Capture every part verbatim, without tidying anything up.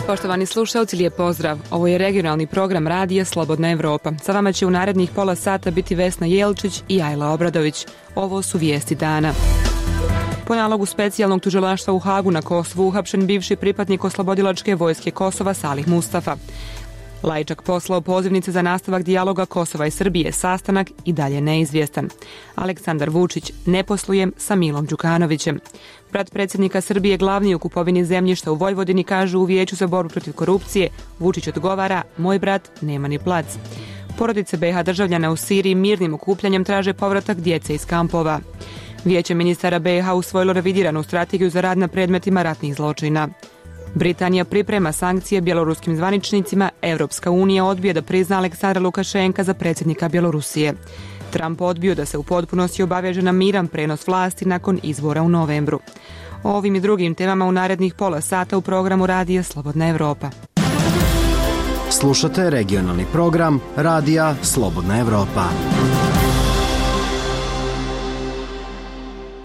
Poštovani slušalci, lijep pozdrav. Ovo je regionalni program radija Slobodna Evropa. Sa vama će u narednih pola sata biti Vesna Jelčić i Ajla Obradović. Ovo su vijesti dana. Po nalogu specijalnog tužilaštva u Hagu na Kosovu uhapšen bivši pripadnik oslobodilačke vojske Kosova Salih Mustafa. Lajčak poslao pozivnice za nastavak dijaloga Kosova i Srbije, sastanak i dalje neizvjestan. Aleksandar Vučić: ne poslujem sa Milom Đukanovićem. Brat predsjednika Srbije glavni u kupovini zemljišta u Vojvodini, kaže u Vijeću za borbu protiv korupcije. Vučić odgovara: moj brat nema ni plac. Porodice be ha državljana u Siriji mirnim okupljanjem traže povratak djece iz kampova. Vijeće ministara be ha usvojilo revidiranu strategiju za rad na predmetima ratnih zločina. Britanija priprema sankcije bjeloruskim zvaničnicima, Europska unija odbija da prizna Aleksandra Lukašenka za predsjednika Bjelorusije. Trump odbio da se u potpunosti obaveže na miran prenos vlasti nakon izbora u novembru. O ovim i drugim temama u narednih pola sata u programu radija Slobodna Evropa. Slušate regionalni program radija Slobodna Evropa.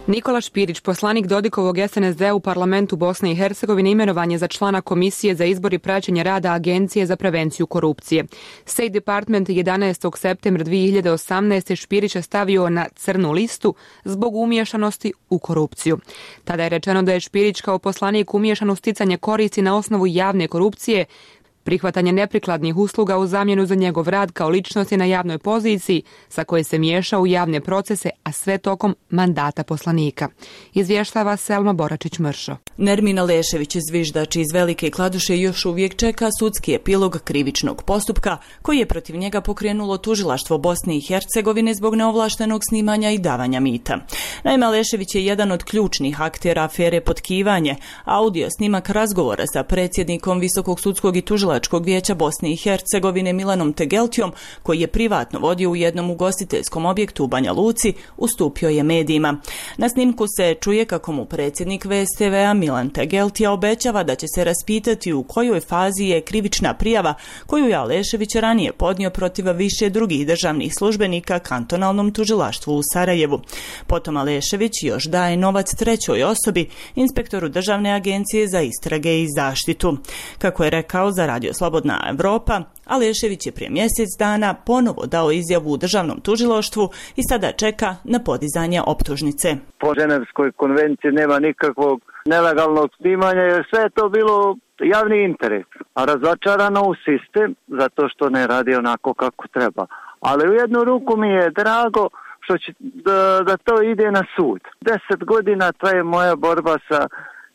Nikola Špirić, poslanik Dodikovog es en es de u parlamentu Bosne i Hercegovine, imenovan je za člana Komisije za izbor i praćenje rada Agencije za prevenciju korupcije. State Department jedanaestog septembra dvije hiljade osamnaeste. Špirića stavio na crnu listu zbog umiješanosti u korupciju. Tada je rečeno da je Špirić kao poslanik umiješan u sticanje koristi na osnovu javne korupcije, prihvatanje neprikladnih usluga u zamjenu za njegov rad kao ličnosti na javnoj poziciji sa koje se miješa u javne procese, a sve tokom mandata poslanika. Izvještava Selma Boračić-Mršo. Nermin Alešević, zviždač iz Velike Kladuše, još uvijek čeka sudski epilog krivičnog postupka koji je protiv njega pokrenulo tužilaštvo Bosne i Hercegovine zbog neovlaštenog snimanja i davanja mita. Naime, Alešević je jedan od ključnih aktera afere Potkivanje, audio snimak razgovora sa predsjednikom Visokog sudskog i tužilačkog vijeća Bosne i Hercegovine Milanom Tegeltijom, koji je privatno vodio u jednom ugostiteljskom objektu u Banja Luci, ustupio je medijima. Na snimku se čuje kako mu predsjednik ve es te ve-a Milan Tegeltija obećava da će se raspitati u kojoj fazi je krivična prijava koju je Alešević ranije podnio protiv više drugih državnih službenika kantonalnom tužilaštvu u Sarajevu. Potom Alešević još daje novac trećoj osobi, inspektoru Državne agencije za istrage i zaštitu. Kako je rekao za Radio Slobodna Evropa, Alešević je prije mjesec dana ponovo dao izjavu u državnom tužilaštvu i sada čeka na podizanje optužnice. Po Ženevskoj konvenciji nema nikakvog nelegalnog snimanja jer sve je to bilo javni interes, a razočarano u sistem zato što ne radi onako kako treba. Ali u jednu ruku mi je drago što će da, da to ide na sud. Deset godina traje moja borba sa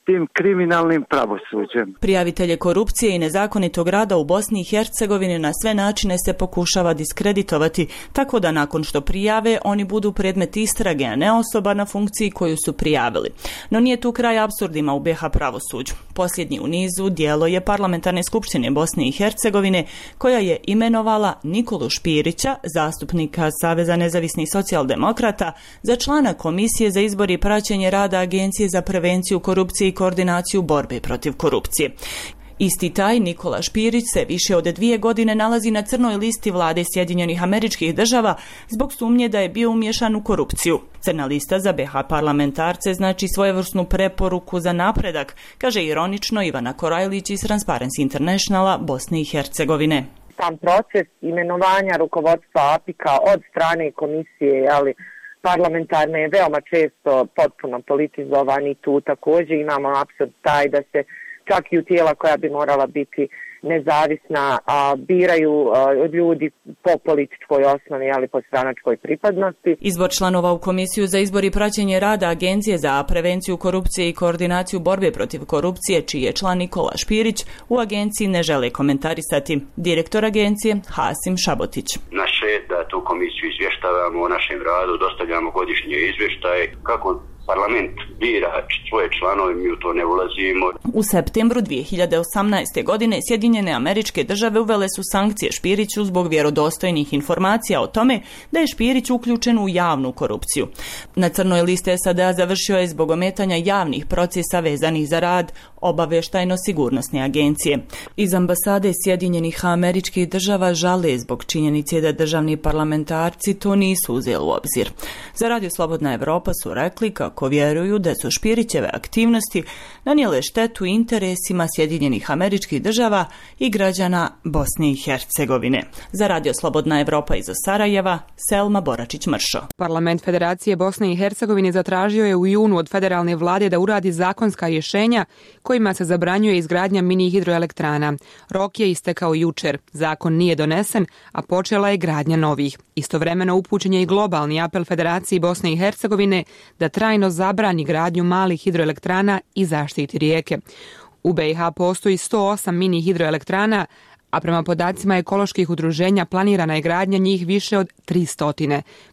tim kriminalnim pravosuđem. Prijavitelje korupcije i nezakonitog rada u Bosni i Hercegovini na sve načine se pokušava diskreditovati, tako da nakon što prijave oni budu predmet istrage, a ne osoba na funkciji koju su prijavili. No nije tu kraj apsurdima u be ha pravosuđu. Posljednji u nizu djelo je Parlamentarne skupštine Bosne i Hercegovine, koja je imenovala Nikolu Špirića, zastupnika Saveza nezavisnih socijaldemokrata, za člana Komisije za izbor i praćenje rada Agencije za prevenciju korupcije i koordinaciju borbe protiv korupcije. Isti taj Nikola Špirić se više od dvije godine nalazi na crnoj listi vlade Sjedinjenih Američkih Država zbog sumnje da je bio umiješan u korupciju. Crna lista za be ha parlamentarce znači svojevrsnu preporuku za napredak, kaže ironično Ivana Korajlić iz Transparency Internationala Bosne i Hercegovine. Sam proces imenovanja rukovodstva a pe i ka od strane komisije, ali parlamentarne je veoma često potpuno politizovan i tu također imamo apsurd taj da se čak i u tijela koja bi morala biti nezavisna a, biraju a, ljudi po političkoj osnovi, ali po stranačkoj pripadnosti. Izbor članova u Komisiju za izbor i praćenje rada Agencije za prevenciju korupcije i koordinaciju borbe protiv korupcije, čiji je član Nikola Špirić, u agenciji ne žele komentarisati. Direktor agencije Hasim Šabotić. Naše je da tu komisiju izvještavamo o našem radu, dostavljamo godišnje izvještaje kako Parlament bira svoje članove, mi u to ne ulazimo. U septembru dvije hiljade osamnaeste. godine Sjedinjene Američke Države uvele su sankcije Špiriću zbog vjerodostojnih informacija o tome da je Špirić uključen u javnu korupciju. Na crnoj listi S A D-a završio je zbog ometanja javnih procesa vezanih za rad Obavještajno-sigurnosne agencije. Iz ambasade Sjedinjenih Američkih Država žale zbog činjenice da državni parlamentarci to nisu uzeli u obzir. Za Radio Slobodna Evropa su rekli kako vjeruju da su Špirićeve aktivnosti nanijele štetu interesima Sjedinjenih Američkih Država i građana Bosne i Hercegovine. Za Radio Slobodna Evropa iz Sarajeva, Selma Boračić-Mršo. Parlament Federacije Bosne i Hercegovine zatražio je u junu od federalne vlade da uradi zakonska rješenja kojima se zabranjuje izgradnja mini hidroelektrana. Rok je istekao jučer. Zakon nije donesen, a počela je gradnja novih. Istovremeno upućen je i globalni apel Federaciji Bosne i Hercegovine da trajno zabrani gradnju malih hidroelektrana i zaštiti rijeke. U B i H postoji sto osam mini hidroelektrana, a prema podacima ekoloških udruženja planirana je gradnja njih više od tristo.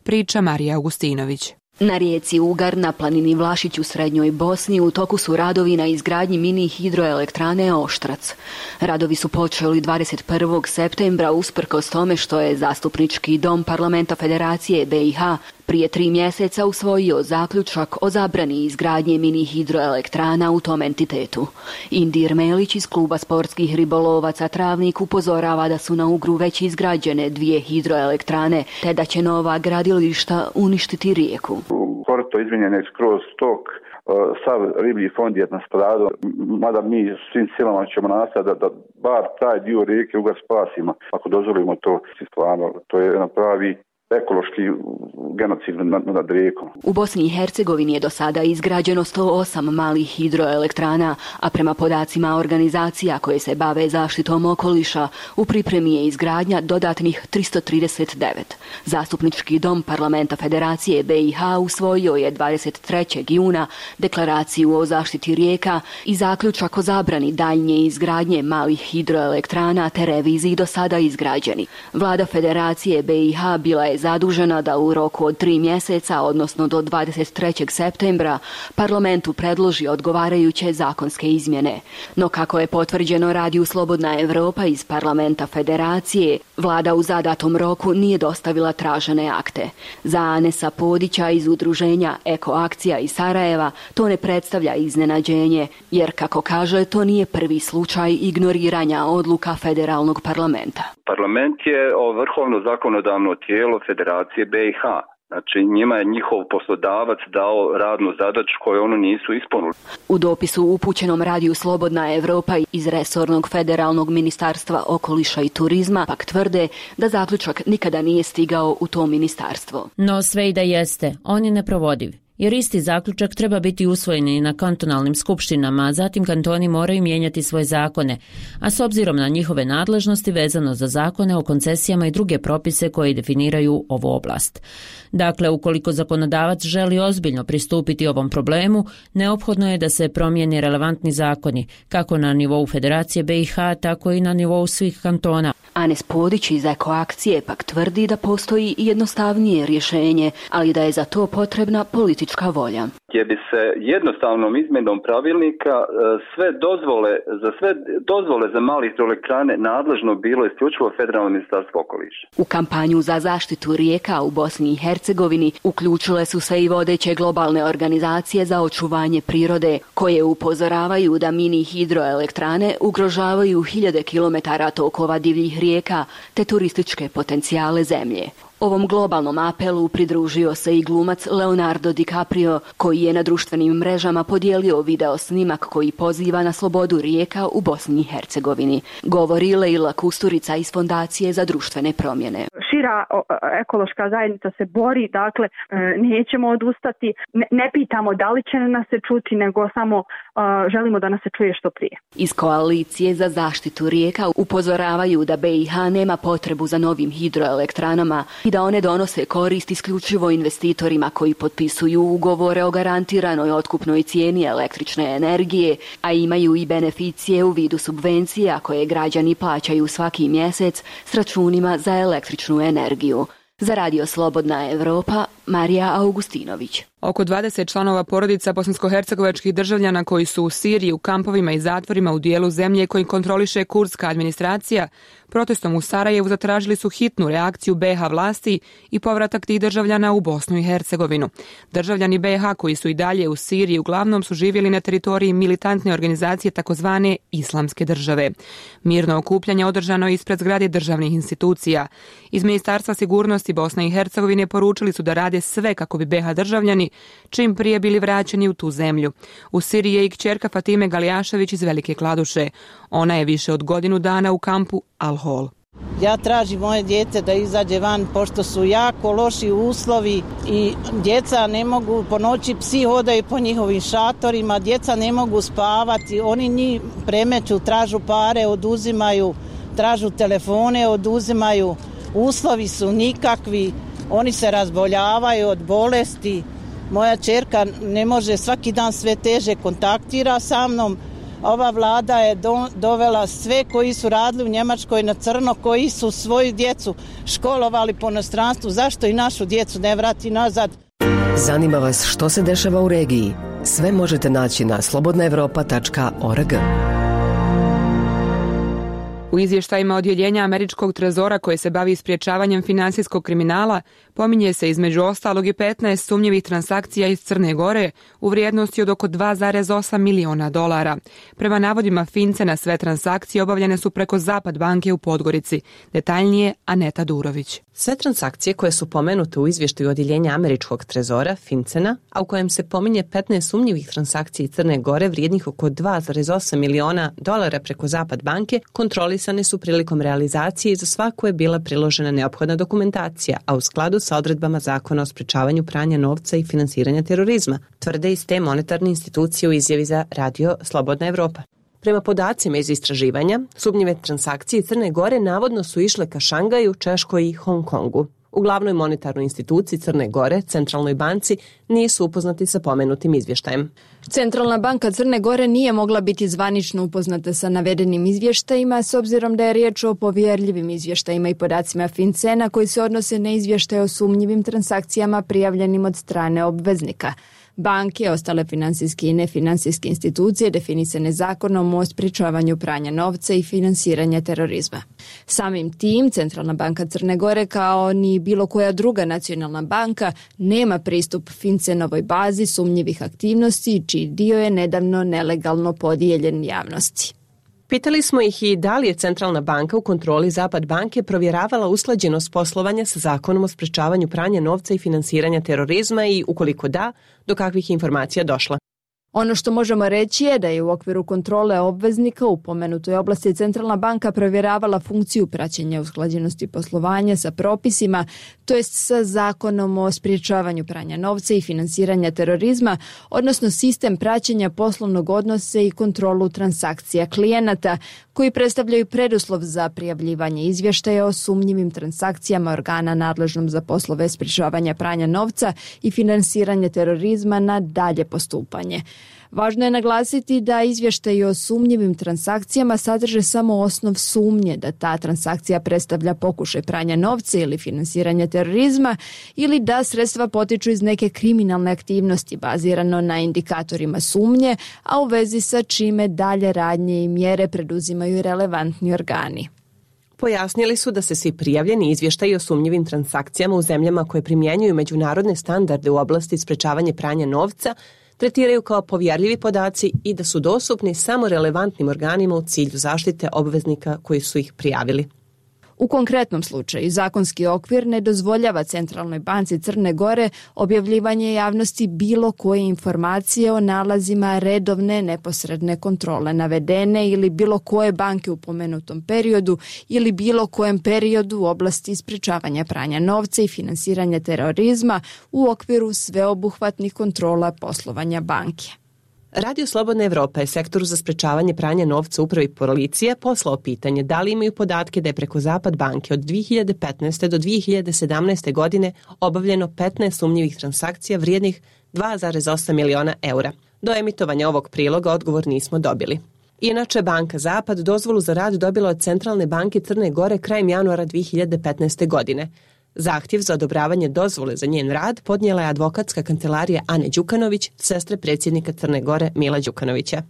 Priča Marija Augustinović. Na rijeci Ugar na planini Vlašić u srednjoj Bosni u toku su radovi na izgradnji mini hidroelektrane Oštrac. Radovi su počeli dvadeset prvog septembra usprkos tome što je Zastupnički dom Parlamenta Federacije B i H prije tri mjeseca usvojio zaključak o zabrani izgradnje mini hidroelektrana u tom entitetu. Indir Melić iz kluba sportskih ribolovaca Travnik upozorava da su na Ugru već izgrađene dvije hidroelektrane, te da će nova gradilišta uništiti rijeku. Korito izmijenjen je skroz stok, sav riblji fond je nastradao, mada mi svim silama ćemo nastaviti da, da bar taj dio rijeke Ugar spasimo, ako dozvolimo to. Stvarno, to je jedan pravi ekološki genocid nad, nad rijekom. U Bosni i Hercegovini je do sada izgrađeno sto osam malih hidroelektrana, a prema podacima organizacija koje se bave zaštitom okoliša, u pripremi je izgradnja dodatnih tristo trideset devet. Zastupnički dom Parlamenta Federacije B i H usvojio je dvadeset trećeg juna deklaraciju o zaštiti rijeka i zaključak o zabrani daljnje izgradnje malih hidroelektrana te reviziji do sada izgrađeni. Vlada Federacije B i H bila je zadužena da u roku od tri mjeseca, odnosno do dvadeset trećeg septembra, parlamentu predloži odgovarajuće zakonske izmjene. No kako je potvrđeno Radiju Slobodna Evropa iz Parlamenta Federacije, vlada u zadatom roku nije dostavila tražene akte. Za Anesa Podića iz udruženja Eko akcija iz Sarajeva to ne predstavlja iznenađenje, jer kako kaže, to nije prvi slučaj ignoriranja odluka federalnog parlamenta. Parlament je vrhovno zakonodavno tijelo Federacije B i H. Znači njima je njihov poslodavac dao radnu zadaću koju oni nisu ispunili. U dopisu upućenom Radiju Slobodna Evropa iz resornog federalnog ministarstva okoliša i turizma pak tvrde da zaključak nikada nije stigao u to ministarstvo. No sve i da jeste, on je neprovodiv. Jer isti zaključak treba biti usvojen i na kantonalnim skupštinama, a zatim kantoni moraju mijenjati svoje zakone, a s obzirom na njihove nadležnosti vezano za zakone o koncesijama i druge propise koji definiraju ovu oblast. Dakle, ukoliko zakonodavac želi ozbiljno pristupiti ovom problemu, neophodno je da se promijeni relevantni zakoni, kako na nivou Federacije B i H, tako i na nivou svih kantona. Anes Podić iz Eko akcije pak tvrdi da postoji jednostavnije rješenje, ali da je za to potrebna politička volja. Gdje bi se jednostavnom izmjenom pravilnika sve dozvole za sve dozvole za male hidroelektrane nadležno bilo isključivo Federalno ministarstvo okoliša. U kampanju za zaštitu rijeka u Bosni i Hercegovini uključile su se i vodeće globalne organizacije za očuvanje prirode, koje upozoravaju da mini hidroelektrane ugrožavaju hiljade kilometara tokova divljih rijeka te turističke potencijale zemlje. Ovom globalnom apelu pridružio se i glumac Leonardo DiCaprio, koji je na društvenim mrežama podijelio video snimak koji poziva na slobodu rijeka u Bosni i Hercegovini. Govori Leila Kusturica iz Fondacije za društvene promjene. Šira ekološka zajednica se bori, dakle nećemo odustati, ne, ne pitamo da li će nas se čuti, nego samo uh, želimo da nas se čuje što prije. Iz Koalicije za zaštitu rijeka upozoravaju da B i H nema potrebu za novim hidroelektranama i da one donose korist isključivo investitorima koji potpisuju ugovore o garantiranoj otkupnoj cijeni električne energije, a imaju i beneficije u vidu subvencija koje građani plaćaju svaki mjesec s računima za električnu energiju. Za Radio Slobodna Evropa, Marija Augustinović. Oko dvadeset članova porodica bosansko-hercegovačkih državljana koji su u Siriji u kampovima i zatvorima u dijelu zemlje koji kontroliše kurdska administracija, protestom u Sarajevu zatražili su hitnu reakciju be ha vlasti i povratak tih državljana u Bosnu i Hercegovinu. Državljani be ha koji su i dalje u Siriji uglavnom su živjeli na teritoriji militantne organizacije takozvane Islamske države. Mirno okupljanje održano je ispred zgrade državnih institucija. Iz Ministarstva sigurnosti Bosne i Hercegovine poručili su da rade sve kako bi be ha državljani čim prije bili vraćeni u tu zemlju. U Siriji je i kćerka Fatime Galijašević iz Velike Kladuše. Ona je više od godinu dana u kampu Al-Hol. Ja tražim moje dijete da izađe van pošto su jako loši uslovi i djeca ne mogu, po noći psi hodaju po njihovim šatorima, djeca ne mogu spavati, oni njih premeću, tražu pare, oduzimaju, tražu telefone, oduzimaju, uslovi su nikakvi, oni se razboljavaju od bolesti. Moja ćerka ne može, svaki dan sve teže kontaktira sa mnom. Ova vlada je do, dovela sve koji su radili u Njemačkoj na crno, koji su svoju djecu školovali po inostranstvu. Zašto i našu djecu ne vrati nazad? Zanima vas što se dešava u regiji? Sve možete naći na slobodna evropa tačka org. U izvještajima odjeljenja Američkog trezora koje se bavi sprječavanjem finansijskog kriminala pominje se između ostalog i petnaest sumnjivih transakcija iz Crne Gore u vrijednosti od oko dva zarez osam miliona dolara. Prema navodima Fincena sve transakcije obavljene su preko Zapad banke u Podgorici. Detaljnije Aneta Durović. Sve transakcije koje su pomenute u izvještaju odjeljenja Američkog trezora Fincena, a u kojem se pominje petnaest sumnjivih transakcija iz Crne Gore vrijednih oko dva zarez osam miliona dolara preko Zapad banke, kontrolisane su prilikom realizacije i za svaku je bila priložena neophodna dokumentacija, a u skladu sa odredbama Zakona o sprečavanju pranja novca i finansiranja terorizma, tvrde iz te monetarne institucije u izjavi za Radio Slobodna Evropa. Prema podacima iz istraživanja, sumnjive transakcije Crne Gore navodno su išle ka Šangaju, Češkoj i Hong Kongu. U glavnoj monetarnoj instituciji Crne Gore, Centralnoj banci, nisu upoznati sa pomenutim izvještajem. Centralna banka Crne Gore nije mogla biti zvanično upoznata sa navedenim izvještajima s obzirom da je riječ o povjerljivim izvještajima i podacima Fincena koji se odnose na izvještaje o sumnjivim transakcijama prijavljenim od strane obveznika. Banke, ostale finansijske i nefinancijske institucije definisane zakonom o sprječavanju pranja novca i finansiranja terorizma. Samim tim, Centralna banka Crne Gore kao ni bilo koja druga nacionalna banka nema pristup Fincenovoj bazi sumnjivih aktivnosti, čiji dio je nedavno nelegalno podijeljen javnosti. Pitali smo ih i da li je Centralna banka u kontroli Zapad banke provjeravala usklađenost poslovanja sa zakonom o sprečavanju pranja novca i finansiranja terorizma i, ukoliko da, do kakvih informacija došla. Ono što možemo reći je da je u okviru kontrole obveznika u pomenutoj oblasti Centralna banka provjeravala funkciju praćenja usklađenosti poslovanja sa propisima, to jest sa zakonom o sprječavanju pranja novca i finansiranja terorizma, odnosno sistem praćenja poslovnog odnosa i kontrolu transakcija klijenata, koji predstavljaju preduslov za prijavljivanje izvještaja o sumnjivim transakcijama organa nadležnom za poslove sprječavanja pranja novca i finansiranja terorizma na dalje postupanje. Važno je naglasiti da izvještaji o sumnjivim transakcijama sadrže samo osnov sumnje da ta transakcija predstavlja pokušaj pranja novca ili finansiranja terorizma ili da sredstva potiču iz neke kriminalne aktivnosti bazirano na indikatorima sumnje, a u vezi sa čime dalje radnje i mjere preduzimaju relevantni organi. Pojasnili su da se svi prijavljeni izvještaji o sumnjivim transakcijama u zemljama koje primjenjuju međunarodne standarde u oblasti sprečavanja pranja novca tretiraju kao povjerljivi podaci i da su dostupni samo relevantnim organima u cilju zaštite obveznika koji su ih prijavili. U konkretnom slučaju zakonski okvir ne dozvoljava Centralnoj banci Crne Gore objavljivanje javnosti bilo koje informacije o nalazima redovne neposredne kontrole navedene ili bilo koje banke u pomenutom periodu ili bilo kojem periodu u oblasti sprječavanja pranja novca i finansiranja terorizma u okviru sveobuhvatnih kontrola poslovanja banke. Radio Slobodna Evropa je sektoru za sprečavanje pranja novca upravi policije poslao pitanje da li imaju podatke da je preko Zapad banke od dvije hiljade petnaeste do dvije hiljade sedamnaeste godine obavljeno petnaest sumnjivih transakcija vrijednih dva zarez osam miliona eura. Do emitovanja ovog priloga odgovor nismo dobili. Inače, Banka Zapad dozvolu za rad dobila od Centralne banke Crne Gore krajem januara dvije hiljade petnaeste godine. Zahtjev za odobravanje dozvole za njen rad podnijela je advokatska kancelarija Ane Đukanović, sestre predsjednika Crne Gore Mila Đukanovića.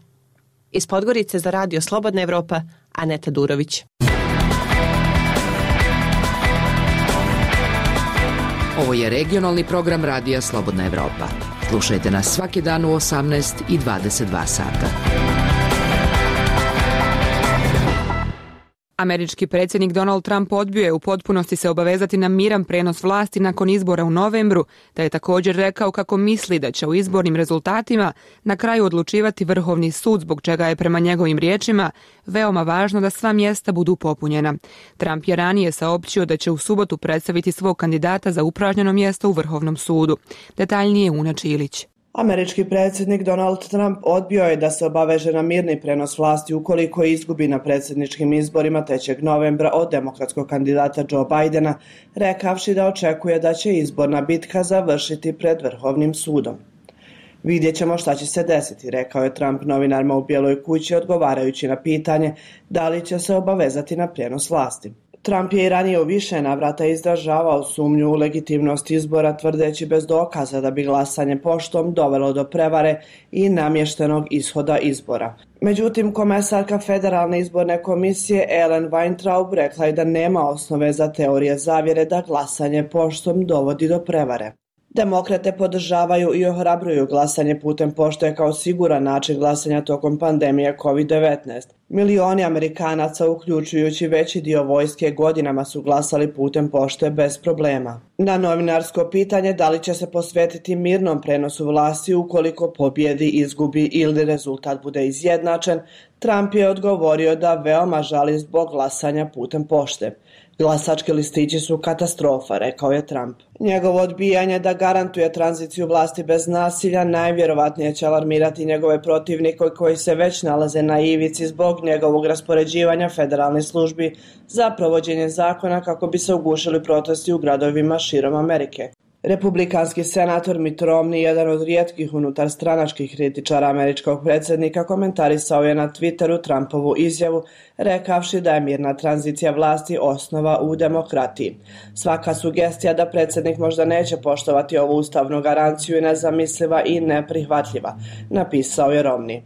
Iz Podgorice za radio Slobodna Evropa, Aneta Durović. Ovo je regionalni program radija Slobodna Evropa. Slušajte nas svaki dan u osamnaest i dvadeset dva sata. Američki predsjednik Donald Trump odbio je u potpunosti se obavezati na miran prenos vlasti nakon izbora u novembru, da je također rekao kako misli da će u izbornim rezultatima na kraju odlučivati Vrhovni sud, zbog čega je prema njegovim riječima veoma važno da sva mjesta budu popunjena. Trump je ranije saopćio da će u subotu predstaviti svog kandidata za upražnjeno mjesto u Vrhovnom sudu. Detaljnije Una Čilić. Američki predsjednik Donald Trump odbio je da se obaveže na mirni prenos vlasti ukoliko izgubi na predsjedničkim izborima trećeg novembra od demokratskog kandidata Joe Bidena, rekavši da očekuje da će izborna bitka završiti pred Vrhovnim sudom. Vidjet ćemo šta će se desiti, rekao je Trump novinarima u Bijeloj kući odgovarajući na pitanje da li će se obavezati na prijenos vlasti. Trump je i ranije u više navrata izražavao sumnju u legitimnost izbora, tvrdeći bez dokaza da bi glasanje poštom dovelo do prevare i namještenog ishoda izbora. Međutim, komesarka Federalne izborne komisije Ellen Weintraub rekla je da nema osnove za teorije zavjere da glasanje poštom dovodi do prevare. Demokrate podržavaju i ohrabruju glasanje putem pošte kao siguran način glasanja tokom pandemije kovid devetnaest. Milioni Amerikanaca, uključujući veći dio vojske, godinama su glasali putem pošte bez problema. Na novinarsko pitanje da li će se posvetiti mirnom prenosu vlasti ukoliko pobjedi, izgubi ili rezultat bude izjednačen, Trump je odgovorio da veoma žali zbog glasanja putem pošte. Glasački listići su katastrofa, rekao je Trump. Njegovo odbijanje da garantuje tranziciju vlasti bez nasilja najvjerovatnije će alarmirati njegove protivnike koji se već nalaze na ivici zbog njegovog raspoređivanja federalnih službi za provođenje zakona kako bi se ugušili protesti u gradovima širom Amerike. Republikanski senator Mitt Romney, jedan od rijetkih unutar stranačkih kritičara američkog predsjednika, komentarisao je na Twitteru Trumpovu izjavu, rekavši da je mirna tranzicija vlasti osnova u demokratiji. Svaka sugestija da predsjednik možda neće poštovati ovu ustavnu garanciju je nezamisliva i neprihvatljiva, napisao je Romney.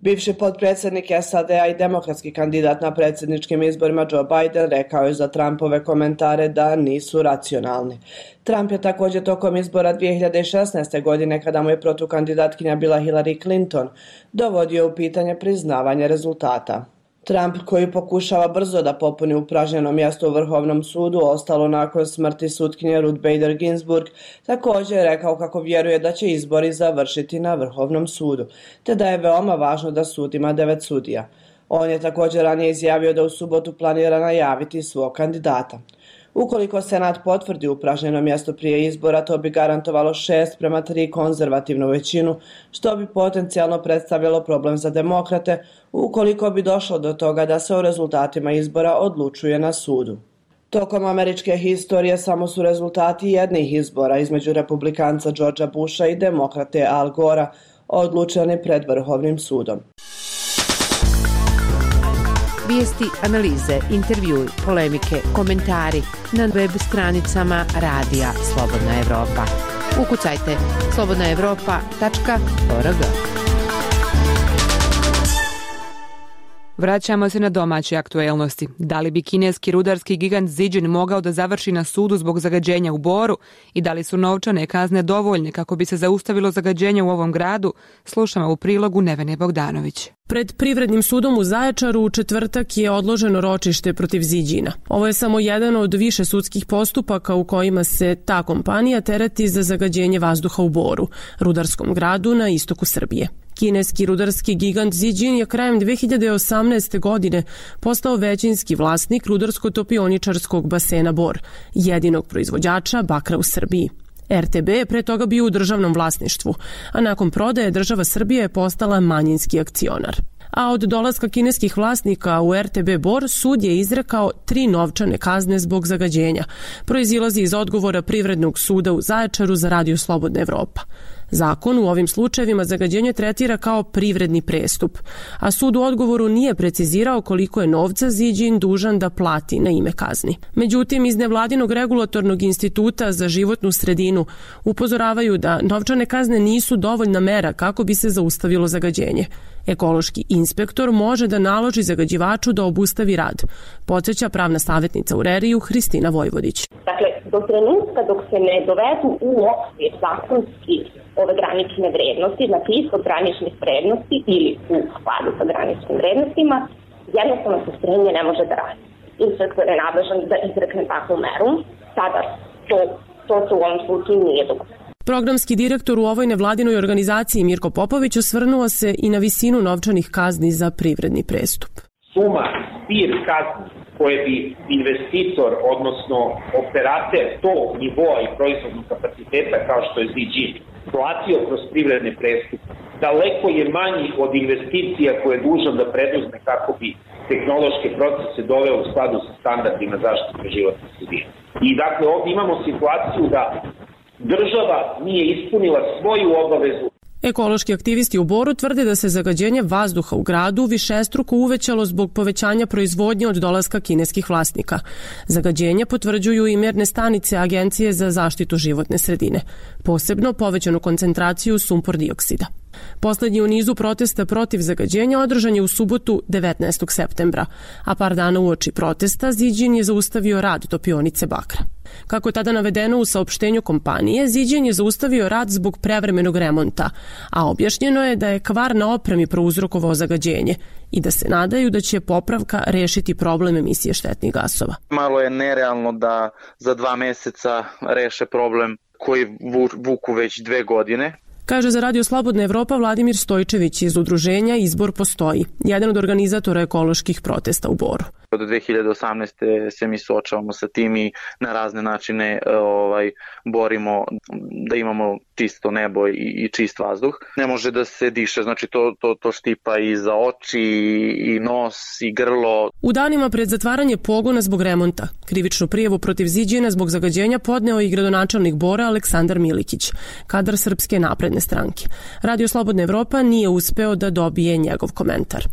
Bivši potpredsjednik S A D-a i demokratski kandidat na predsjedničkim izborima Joe Biden rekao je za Trumpove komentare da nisu racionalni. Trump je također tokom izbora dvije hiljade šesnaeste. godine, kada mu je protukandidatkinja bila Hillary Clinton, dovodio u pitanje priznavanje rezultata. Trump, koji pokušava brzo da popuni upražnjeno mjesto u Vrhovnom sudu, ostalo nakon smrti sutkinje Ruth Bader Ginsburg, također je rekao kako vjeruje da će izbori završiti na Vrhovnom sudu, te da je veoma važno da sud ima devet sudija. On je također ranije izjavio da u subotu planira najaviti svog kandidata. Ukoliko Senat potvrdi upražnjeno mjesto prije izbora, to bi garantovalo šest prema tri konzervativnu većinu, što bi potencijalno predstavljalo problem za demokrate ukoliko bi došlo do toga da se o rezultatima izbora odlučuje na sudu. Tokom američke historije samo su rezultati jednih izbora između republikanca Georgea Busha i demokrate Al Gora odlučeni pred Vrhovnim sudom. Vijesti, analize, intervjui, polemike, komentari na web stranicama Radija Slobodna Evropa. Ukucajte slobodna evropa tačka org. Vraćamo se na domaće aktuelnosti. Da li bi kineski rudarski gigant Zijin mogao da završi na sudu zbog zagađenja u Boru i da li su novčane kazne dovoljne kako bi se zaustavilo zagađenje u ovom gradu, slušamo u prilogu Nevene Bogdanović. Pred Privrednim sudom u Zaječaru u četvrtak je odloženo ročište protiv Zijina. Ovo je samo jedan od više sudskih postupaka u kojima se ta kompanija tereti za zagađenje vazduha u Boru, rudarskom gradu na istoku Srbije. Kineski rudarski gigant Zijin je krajem dve hiljade osamnaeste. godine postao većinski vlasnik rudarsko-topioničarskog basena Bor, jedinog proizvođača bakra u Srbiji. R T B je pre toga bio u državnom vlasništvu, a nakon prodaje država Srbije je postala manjinski akcionar. A od dolaska kineskih vlasnika u R T B Bor sud je izrekao tri novčane kazne zbog zagađenja. Proizilazi iz odgovora Privrednog suda u Zaječaru za Radio Slobodna Evropa. Zakon u ovim slučajevima zagađenje tretira kao privredni prestup, a sud u odgovoru nije precizirao koliko je novca Ziđin dužan da plati na ime kazni. Međutim, iz nevladinog regulatornog instituta za životnu sredinu upozoravaju da novčane kazne nisu dovoljna mera kako bi se zaustavilo zagađenje. Ekološki inspektor može da naloži zagađivaču da obustavi rad, podsjeća pravna savjetnica u Reriju Hristina Vojvodić. Dakle, do trenutka dok se ne dovedu u okvir zakonski ove granične vrednosti, znači ispod graničnih vrednosti ili u skladu sa graničnim vrednostima, jednostavno postrojenje ne može da radi. Inspektor je nadležan da izrekne takvu meru, sada to, to se u ovom slučaju nije dogodilo. Programski direktor u ovoj nevladinoj organizaciji Mirko Popović osvrnuo se i na visinu novčanih kazni za privredni prestup. Suma zbir kazni koje bi investitor, odnosno operater tog nivoa i proizvodnog kapaciteta kao što je Ziđin platio kroz privredne prestupe, daleko je manji od investicija koje je dužan da preduzme kako bi tehnološke procese doveo u skladu sa standardima zaštite životne sredine. I dakle ovdje imamo situaciju da država nije ispunila svoju obavezu. Ekološki aktivisti u Boru tvrde da se zagađenje vazduha u gradu višestruko uvećalo zbog povećanja proizvodnje od dolaska kineskih vlasnika. Zagađenje potvrđuju i merne stanice Agencije za zaštitu životne sredine, posebno povećanu koncentraciju sumpor dioksida. Poslednji u nizu protesta protiv zagađenja održan je u subotu devetnaestog septembra, a par dana uoči protesta Ziđin je zaustavio rad topionice bakra. Kako je tada navedeno u saopštenju kompanije, Ziđin je zaustavio rad zbog prevremenog remonta, a objašnjeno je da je kvar na opremi prouzrokovao zagađenje i da se nadaju da će popravka rešiti problem emisije štetnih gasova. Malo je nerealno da za dva meseca reše problem koji vuku već dve godine. Kaže za Radio Slobodna Evropa Vladimir Stojčević iz udruženja Izbor postoji, jedan od organizatora ekoloških protesta u Boru. Od dve hiljade osamnaeste. se mi suočavamo sa tim i na razne načine ovaj, borimo da imamo čisto nebo i, i čist vazduh. Ne može da se diše, znači to, to, to štipa i za oči, i nos, i grlo. U danima pred zatvaranje pogona zbog remonta, krivičnu prijavu protiv Ziđina zbog zagađenja podneo i gradonačelnik Bora Aleksandar Milikić, kadar Srpske napredne stranke. Radio Slobodna Evropa nije uspeo da dobije njegov komentar.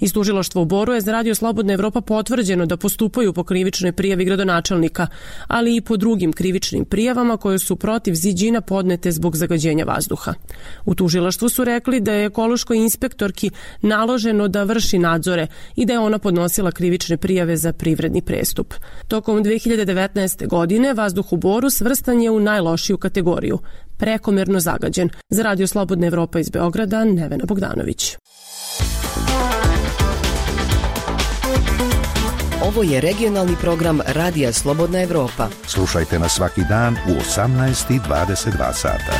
Iz tužilaštva u Boru je za Radio Slobodna Evropa potvrđeno da postupaju po krivičnoj prijavi gradonačelnika, ali i po drugim krivičnim prijavama koje su protiv Ziđina podnete zbog zagađenja vazduha. U tužilaštvu su rekli da je ekološkoj inspektorki naloženo da vrši nadzore i da je ona podnosila krivične prijave za privredni prestup. Tokom dve hiljade devetnaeste. godine vazduh u Boru svrstan je u najlošiju kategoriju, prekomerno zagađen. Za Radio Slobodna Evropa iz Beograda, Nevena Bogdanović. Ovo je regionalni program Radija Slobodna Evropa. Slušajte nas svaki dan u osamnaest i dvadeset dva sata.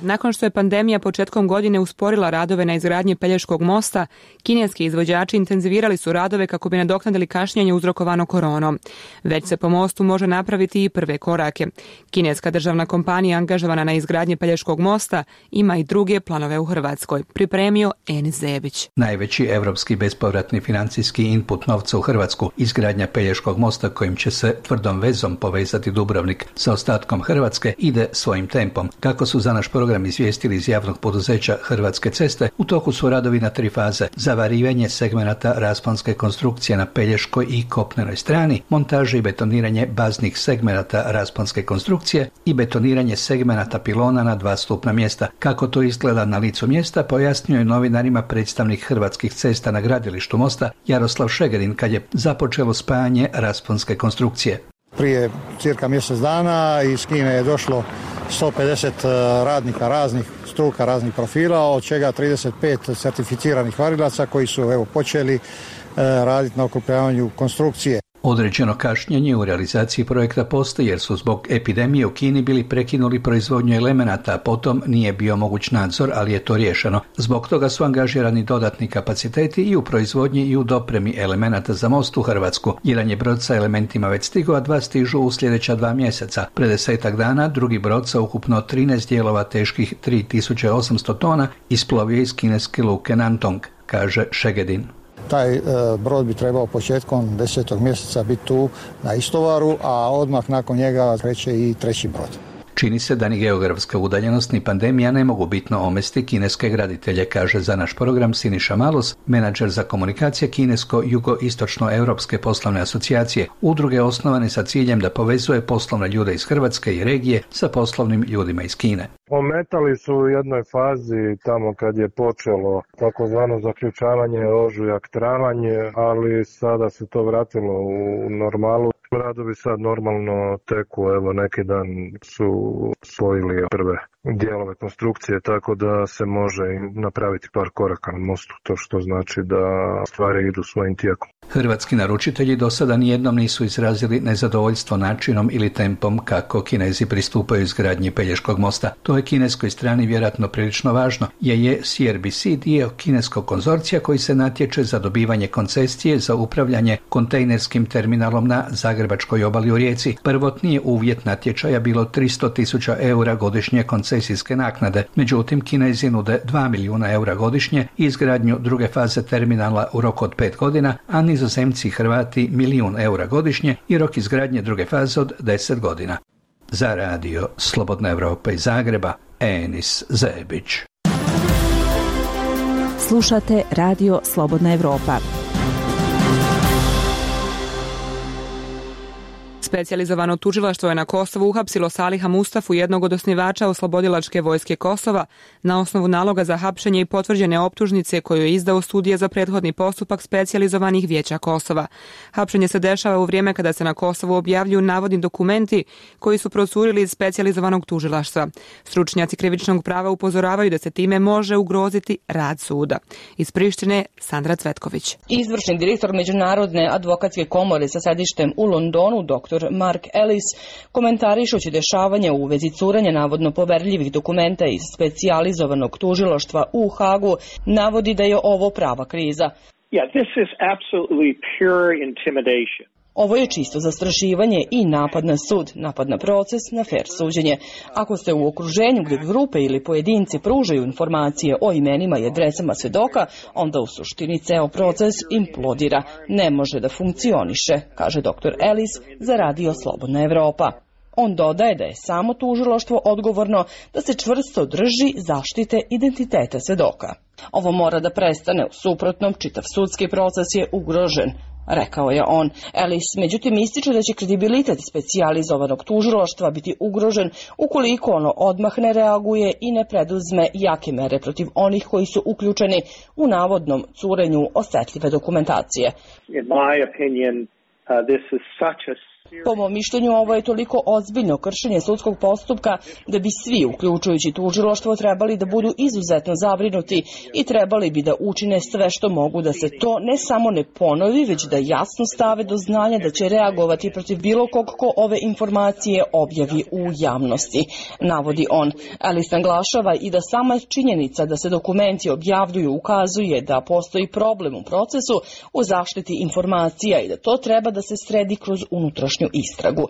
Nakon što je pandemija početkom godine usporila radove na izgradnji Pelješkog mosta, kineski izvođači intenzivirali su radove kako bi nadoknadili kašnjenje uzrokovano koronom. Već se po mostu može napraviti i prve korake. Kineska državna kompanija angažovana na izgradnji Pelješkog mosta ima i druge planove u Hrvatskoj, pripremio Enis Zebić. Najveći evropski bespovratni financijski input novca u Hrvatsku, izgradnja Pelješkog mosta kojim će se tvrdom vezom povezati Dubrovnik sa ostatkom Hrvatske, ide svojim tempom. Kako su za naš program izvijestili iz javnog poduzeća Hrvatske ceste, u toku su radovi na tri faze: zavarivanje segmenata rasponske konstrukcije na pelješkoj i kopnenoj strani, montaže i betoniranje baznih segmenata rasponske konstrukcije i betoniranje segmenata pilona na dva stupna mjesta. Kako to izgleda na licu mjesta, pojasnio je novinarima predstavnik Hrvatskih cesta na gradilištu mosta Jaroslav Šegedin kad je započelo spajanje rasponske konstrukcije. Prije cirka mjesec dana iz Kine je došlo sto pedeset radnika raznih struka, raznih profila, od čega trideset pet certificiranih varilaca koji su evo počeli raditi na okrupljavanju konstrukcije. Određeno kašnjenje u realizaciji projekta postoji jer su zbog epidemije u Kini bili prekinuli proizvodnju elemenata, a potom nije bio moguć nadzor, ali je to riješeno. Zbog toga su angažirani dodatni kapaciteti i u proizvodnji i u dopremi elemenata za most u Hrvatsku. Jedan je brod sa elementima već stigao, a dva stižu u sljedeća dva mjeseca. Pred desetak dana drugi brod sa ukupno trinaest dijelova teških tri tisuće osamsto tona isplovio iz kineske luke Nantong, kaže Šegedin. Taj brod bi trebao početkom desetog mjeseca biti tu na istovaru, a odmah nakon njega kreće i treći brod. Čini se da ni geografska udaljenost ni pandemija ne mogu bitno omesti kineske graditelje, kaže za naš program Siniša Malus, menadžer za komunikacije Kinesko-Jugoistočno-Europske poslovne asocijacije, udruge osnovane sa ciljem da povezuje poslovne ljude iz Hrvatske i regije sa poslovnim ljudima iz Kine. Ometali su u jednoj fazi tamo kad je počelo takozvano zaključavanje, ožujak, travanje, ali sada se to vratilo u normalu. Radovi sad normalno teku, evo neki dan su spojili prve dijelove konstrukcije, tako da se može napraviti par koraka na mostu, to što znači da stvari idu svojim tijekom. Hrvatski naručitelji do sada nijednom nisu izrazili nezadovoljstvo načinom ili tempom kako Kinezi pristupaju izgradnji Pelješkog mosta. To je kineskoj strani vjerojatno prilično važno, jer je C R B C dio kineskog konzorcija koji se natječe za dobivanje koncesije za upravljanje kontejnerskim terminalom na Zagrebačkoj obali u Rijeci. Prvotni je uvjet natječaja bilo tristo tisuća eura godišnje koncesijske naknade. Međutim, Kinezi nude dva milijuna eura godišnje i izgradnju druge faze terminala u roku od pet godina, a Nizozemci i Hrvati milijun eura godišnje i rok izgradnje druge faze od deset godina. Za radio Slobodna Evropa iz Zagreba, Enis Zebić. Slušate radio Slobodna Evropa. Specijalizovano tužilaštvo je na Kosovu uhapsilo Saliha Mustafu, jednog od osnivača Oslobodilačke vojske Kosova, na osnovu naloga za hapšenje i potvrđene optužnice koju je izdao sudija za prethodni postupak specijalizovanih vijeća Kosova. Hapšenje se dešava u vrijeme kada se na Kosovu objavljuju navodni dokumenti koji su procurili iz specijalizovanog tužilaštva. Stručnjaci krivičnog prava upozoravaju da se time može ugroziti rad suda. Iz Prištine, Sandra Cvetković. Izvršni direktor Međunarodne advokatske komore sa sedištem u Londonu, doktor Mark Ellis, komentarišući dešavanje u vezi curanja navodno poverljivih dokumenta iz specijalizovanog tužilaštva u Hagu, navodi da je ovo prava kriza. Yeah, this is absolutely pure intimidation. Ovo je čisto zastrašivanje i napad na sud, napad na proces, na fer suđenje. Ako ste u okruženju gdje grupe ili pojedinci pružaju informacije o imenima i adresama svedoka, onda u suštini ceo proces implodira. Ne može da funkcioniše, kaže doktor Ellis za radio Slobodna Evropa. On dodaje da je samo tužilaštvo odgovorno da se čvrsto drži zaštite identiteta svedoka. Ovo mora da prestane, u suprotnom čitav sudski proces je ugrožen, rekao je on. Ellis međutim ističe da će kredibilitet specijalizovanog tužilaštva biti ugrožen ukoliko ono odmah ne reaguje i ne preduzme jake mere protiv onih koji su uključeni u navodnom curenju osetljive dokumentacije. In my opinion, uh, this is such a Po mom mišljenju, ovo je toliko ozbiljno kršenje sudskog postupka da bi svi, uključujući tužilaštvo, trebali da budu izuzetno zabrinuti i trebali bi da učine sve što mogu da se to ne samo ne ponovi, već da jasno stave do znanja da će reagovati protiv bilo kog ko ove informacije objavi u javnosti, navodi on. Ellis naglašava i da sama činjenica da se dokumenti objavljuju ukazuje da postoji problem u procesu u zaštiti informacija i da to treba da se sredi kroz unutrašnju istragu.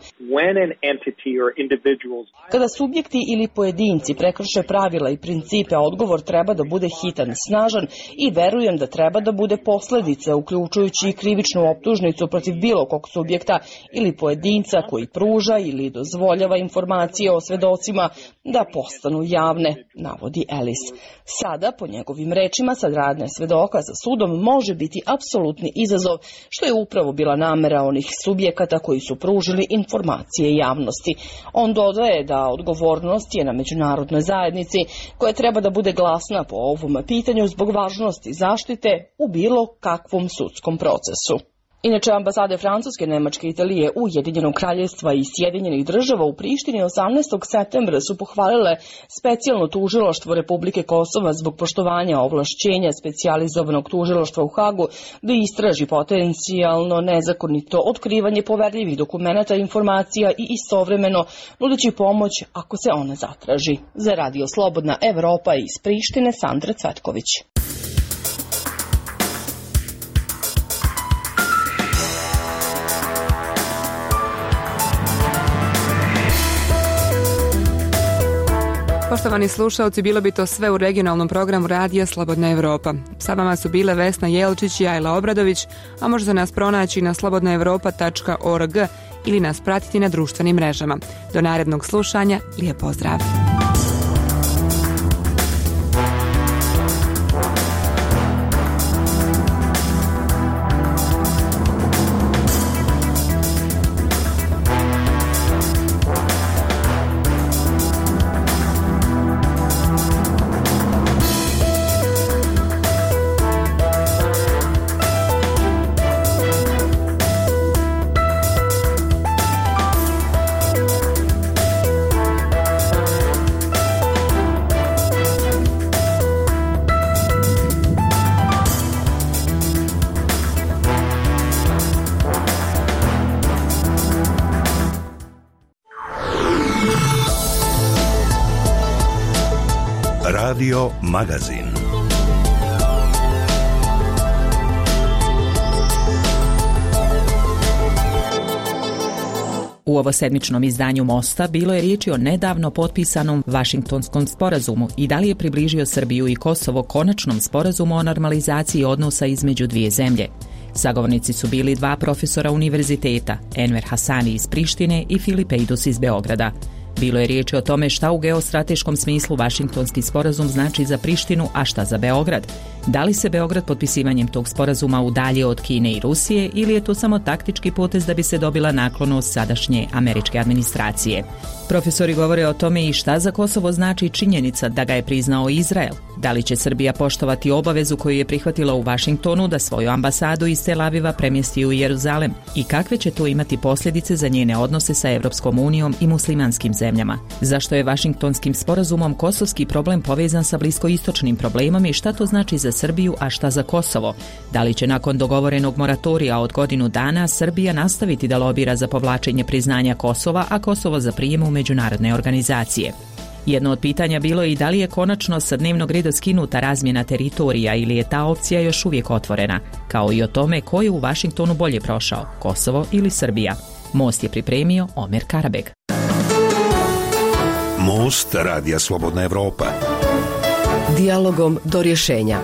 Kada subjekti ili pojedinci prekrše pravila i principe, odgovor treba da bude hitan, snažan i verujem da treba da bude posljedice, uključujući i krivičnu optužnicu protiv bilo kog subjekta ili pojedinca koji pruža ili dozvoljava informacije o svedocima da postanu javne, navodi Ellis. Sada, po njegovim rečima, saradnja svedoka sa sudom može biti apsolutni izazov, što je upravo bila namera onih subjekata koji su pružili informacije javnosti. On dodaje da odgovornost je na međunarodnoj zajednici koja treba da bude glasna po ovom pitanju zbog važnosti zaštite u bilo kakvom sudskom procesu. Inače, ambasade Francuske, Nemačke, Italije, Ujedinjenog kraljevstva i Sjedinjenih država u Prištini osamnaestog septembra su pohvalile specijalno tužilaštvo Republike Kosova zbog poštovanja ovlašćenja specijalizovanog tužilaštva u Hagu da istraži potencijalno nezakonito otkrivanje poverljivih dokumenata, informacija i istovremeno nudeći pomoć ako se ona zatraži. Za radio Slobodna Evropa iz Prištine, Sandra Cvetković. Poštovani slušalci, bilo bi to sve u regionalnom programu Radija Slobodna Evropa. Sa vama su bile Vesna Jelčić i Ajla Obradović, a možete nas pronaći na slobodna evropa tačka org ili nas pratiti na društvenim mrežama. Do narednog slušanja, lijep pozdrav! Radio Magazin. U ovosedmičnom izdanju Mosta bilo je riječi o nedavno potpisanom Vašingtonskom sporazumu i da li je približio Srbiju i Kosovo konačnom sporazumu o normalizaciji odnosa između dvije zemlje. Sagovornici su bili dva profesora univerziteta, Enver Hasani iz Prištine i Filip Ejdus iz Beograda. Bilo je riječi o tome šta u geostrateškom smislu Vašingtonski sporazum znači za Prištinu, a šta za Beograd. Da li se Beograd potpisivanjem tog sporazuma udalje od Kine i Rusije ili je to samo taktički potez da bi se dobila naklonost sadašnje američke administracije? Profesori govore o tome i šta za Kosovo znači činjenica da ga je priznao Izrael. Da li će Srbija poštovati obavezu koju je prihvatila u Vašingtonu da svoju ambasadu iz Tel Aviva premjesti u Jeruzalem i kakve će to imati posljedice za njene odnose sa Evropskom unijom i muslimanskim zemljama? Zašto je Vašingtonskim sporazumom kosovski problem povezan sa bliskoistočnim problemom i šta to znači za Srbiju, a šta za Kosovo? Da li će nakon dogovorenog moratorija od godinu dana Srbija nastaviti da lobira za povlačenje priznanja Kosova, a Kosovo za prijem u međunarodne organizacije? Jedno od pitanja bilo je i da li je konačno sa dnevnog reda skinuta razmjena teritorija ili je ta opcija još uvijek otvorena, kao i o tome ko je u Vašingtonu bolje prošao, Kosovo ili Srbija. Most je pripremio Omer Karabeg. Most Radija Slobodna Evropa. Dijalogom do rješenja.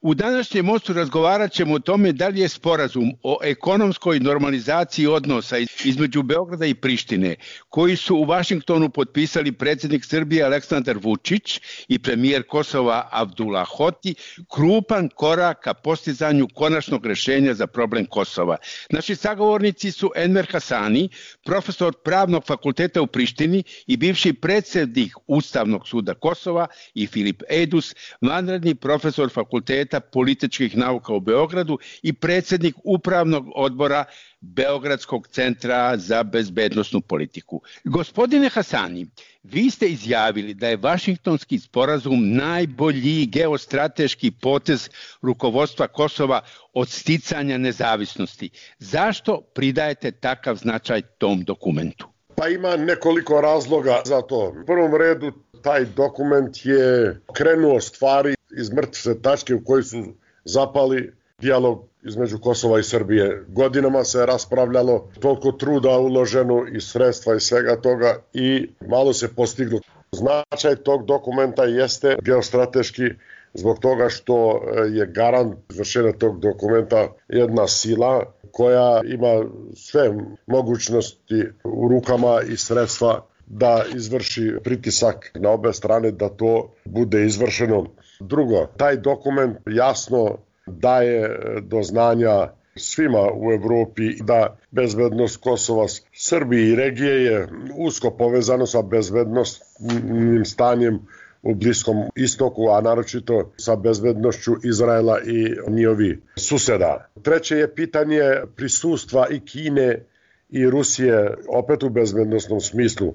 U današnjem mostu razgovarat ćemo o tome da li je sporazum o ekonomskoj normalizaciji odnosa između Beograda i Prištine, koji su u Vašingtonu potpisali predsjednik Srbije Aleksandar Vučić i premijer Kosova Abdullah Hoti, krupan korak ka postizanju konačnog rješenja za problem Kosova. Naši sagovornici su Enver Hasani, profesor Pravnog fakulteta u Prištini i bivši predsjednik Ustavnog suda Kosova, i Filip Ejdus, vanredni profesor fakulteta političkih nauka u Beogradu i predsjednik upravnog odbora Beogradskog centra za bezbednosnu politiku. Gospodine Hasani, vi ste izjavili da je Vašingtonski sporazum najbolji geostrateški potez rukovodstva Kosova od sticanja nezavisnosti. Zašto pridajete takav značaj tom dokumentu? Pa ima nekoliko razloga za to. U prvom redu, taj dokument je krenuo stvari iz mrtve tačke u kojoj su zapali dijalog između Kosova i Srbije. Godinama se raspravljalo, toliko truda uloženo i sredstva i svega toga i malo se postiglo. Značaj tog dokumenta jeste geostrateški zbog toga što je garant izvršenja tog dokumenta jedna sila koja ima sve mogućnosti u rukama i sredstva da izvrši pritisak na obe strane da to bude izvršeno. Drugo, taj dokument jasno daje do znanja svima u Evropi da bezbednost Kosova, Srbije i regije je usko povezano sa bezbednostnim stanjem u Bliskom istoku, a naročito sa bezbednošću Izraela i njihovi suseda. Treće je pitanje prisustva i Kine i Rusije, opet u bezbednostnom smislu.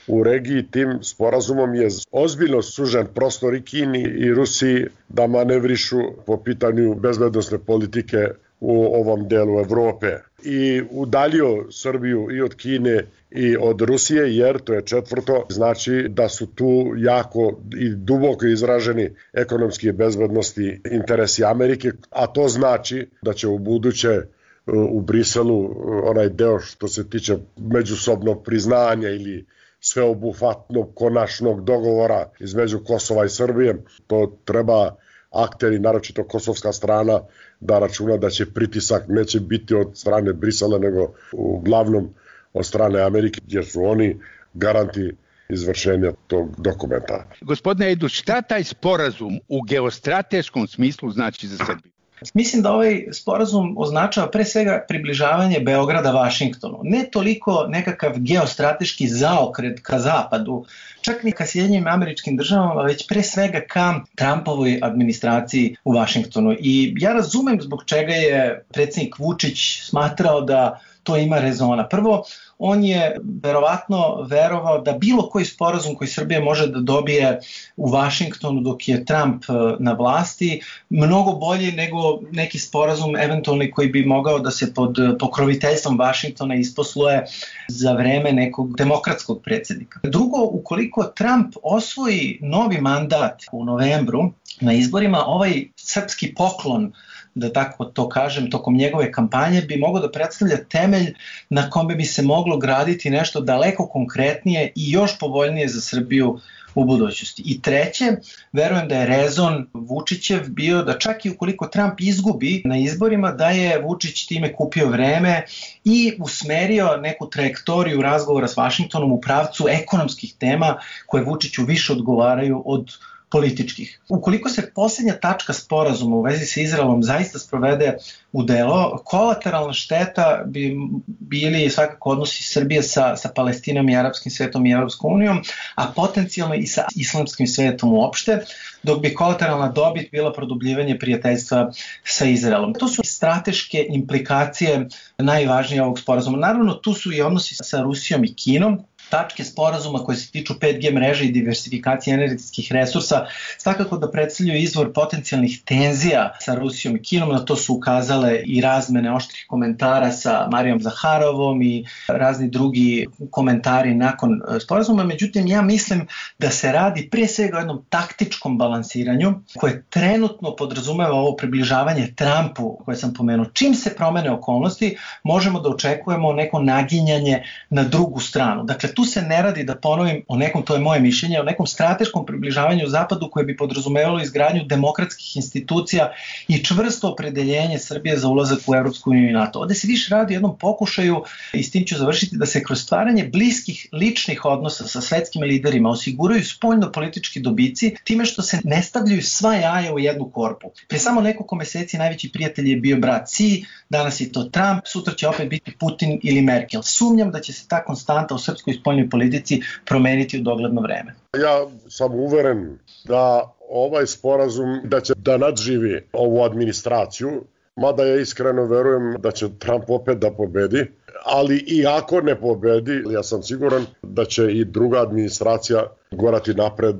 U regiji tim sporazumom je ozbiljno sužen prostor i Kini i Rusiji da manevrišu po pitanju bezbednosne politike u ovom delu Evrope. I udaljio Srbiju i od Kine i od Rusije, jer to je četvrto, znači da su tu jako i duboko izraženi ekonomski i bezbednosti interesi Amerike, a to znači da će u buduće u Briselu onaj deo što se tiče međusobnog priznanja ili sveobuhvatnog konačnog dogovora između Kosova i Srbije. To treba akteri, naročito kosovska strana, da računa da će pritisak neće biti od strane Brisela, nego uglavnom od strane Amerike, jer su oni garanti izvršenja tog dokumenta. Gospodine Edu, šta taj sporazum u geostrateškom smislu znači za Srbiju? Mislim da ovaj sporazum označava pre svega približavanje Beograda Vašingtonu. Ne toliko nekakav geostrateški zaokret ka zapadu, čak ni ka Sjedinjenim Američkim Državama, već pre svega ka Trumpovoj administraciji u Vašingtonu. I ja razumem zbog čega je predsjednik Vučić smatrao da to ima rezona. Prvo, on je verovatno verovao da bilo koji sporazum koji Srbija može da dobije u Vašingtonu dok je Trump na vlasti, mnogo bolji nego neki sporazum eventualni koji bi mogao da se pod pokroviteljstvom Vašingtona isposluje za vreme nekog demokratskog predsjednika. Drugo, ukoliko Trump osvoji novi mandat u novembru na izborima, ovaj srpski poklon, da tako to kažem, tokom njegove kampanje bi mogao da predstavlja temelj na kome bi se moglo graditi nešto daleko konkretnije i još povoljnije za Srbiju u budućnosti. I treće, verujem da je rezon Vučićev bio da čak i ukoliko Trump izgubi na izborima, da je Vučić time kupio vreme i usmerio neku trajektoriju razgovora s Vašingtonom u pravcu ekonomskih tema koje Vučiću više odgovaraju od političkih. Ukoliko se posljednja tačka sporazuma u vezi sa Izraelom zaista sprovede u delo, kolateralna šteta bi bili svakako odnosi Srbije sa, sa Palestinom i arapskim svetom i Evropskom unijom, a potencijalno i sa islamskim svetom uopšte, dok bi kolateralna dobit bila produbljivanje prijateljstva sa Izraelom. To su strateške implikacije najvažnije ovog sporazuma. Naravno, tu su i odnosi sa Rusijom i Kinom. Tačke sporazuma koje se tiču pet G mreže i diversifikacije energetskih resursa svakako da predstavljaju izvor potencijalnih tenzija sa Rusijom i Kinom. Na to su ukazale i razmene oštrih komentara sa Marijom Zaharovom i razni drugi komentari nakon sporazuma. Međutim, ja mislim da se radi prije svega o jednom taktičkom balansiranju koje trenutno podrazumeva ovo približavanje Trumpu koje sam pomenuo. Čim se promene okolnosti, možemo da očekujemo neko naginjanje na drugu stranu. Dakle, tu se ne radi, da ponovim, o nekom, to je moje mišljenje, o nekom strateškom približavanju Zapadu koje bi podrazumevalo izgradnju demokratskih institucija i čvrsto opredeljenje Srbije za ulazak u Evropsku uniju i NATO. Ovde se više radi o jednom pokušaju, i s tim ću završiti, da se kroz stvaranje bliskih ličnih odnosa sa svetskim liderima osiguraju spoljno-politički dobici time što se ne stavljaju sva jaja u jednu korpu. Prije samo nekoliko meseci najveći prijatelj je bio brat Xi, danas je to Trump, sutra će opet biti Putin ili Merkel. Sumnjam da će se ta konstanta u srpskoj spoljnoj politici promeniti u dogledno vreme. Ja sam uveren da ovaj sporazum da će da nadživi ovu administraciju, mada ja iskreno verujem da će Trump opet da pobedi, ali i ako ne pobedi, ja sam siguran da će i druga administracija gorati napred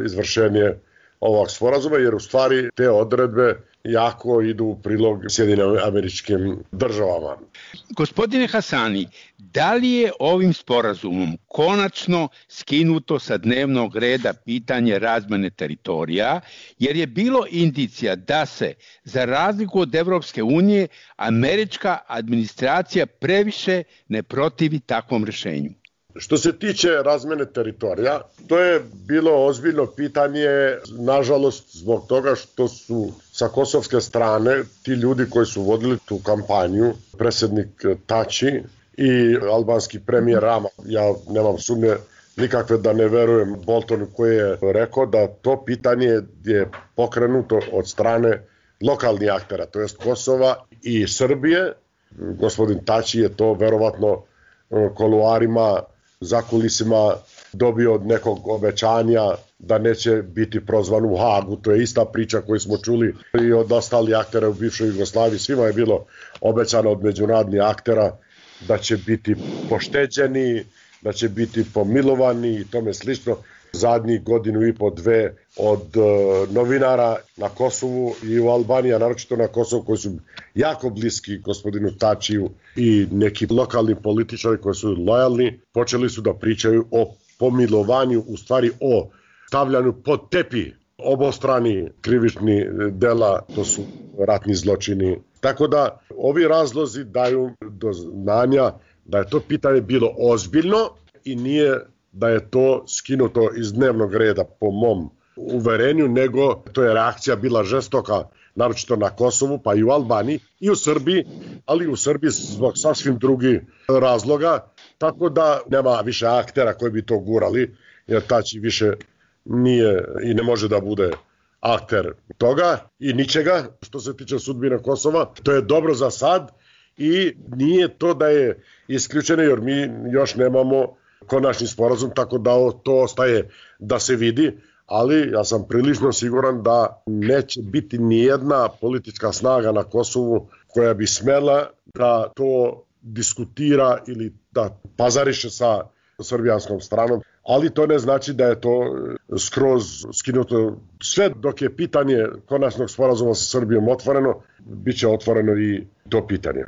izvršenje ovog sporazuma, jer u stvari te odredbe jako idu u prilog Sjedinim Američkim Državama. Gospodine Hasani, da li je ovim sporazumom konačno skinuto sa dnevnog reda pitanje razmene teritorija, jer je bilo indicija da se, za razliku od Evropske unije, američka administracija previše ne protivi takvom rješenju? Što se tiče razmene teritorija, to je bilo ozbiljno pitanje, nažalost, zbog toga što su sa kosovske strane ti ljudi koji su vodili tu kampanju, predsjednik Tači i albanski premijer Rama, ja nemam sumnje nikakve da ne verujem Boltonu koji je rekao da to pitanje je pokrenuto od strane lokalnih aktera, to jest Kosova i Srbije. Gospodin Tači je to verovatno kuluarima, za kulisima dobio od nekog obećanja da neće biti prozvan u Hagu. To je ista priča koju smo čuli i od ostalih aktera u bivšoj Jugoslaviji. Svima je bilo obećano od međunarodnih aktera da će biti pošteđeni, da će biti pomilovani i tome slično. Zadnjih godinu i po dve od uh, novinara na Kosovu i u Albaniji, a naročito na Kosovu, koji su jako bliski gospodinu Tačiju i neki lokalni političari koji su lojalni, počeli su da pričaju o pomilovanju, u stvari o stavljanju pod tepi obostrani krivični dela, to su ratni zločini. Tako da ovi razlozi daju do znanja da je to pitanje bilo ozbiljno i nije da je to skinuto iz dnevnog reda po mom uverenju, nego to je reakcija bila žestoka, naročito na Kosovu, pa i u Albaniji i u Srbiji, ali u Srbiji zbog sasvim drugih razloga, tako da nema više aktera koji bi to gurali, jer Tači više nije i ne može da bude akter toga i ničega što se tiče sudbine Kosova. To je dobro za sad i nije to da je isključeno, jer mi još nemamo konačni sporazum, tako da to ostaje da se vidi, ali ja sam prilično siguran da neće biti nijedna politička snaga na Kosovu koja bi smela da to diskutira ili da pazariše sa srbijanskom stranom, ali to ne znači da je to skroz skinuto. Sve dok je pitanje konačnog sporazuma sa Srbijom otvoreno, bit će otvoreno i to pitanje.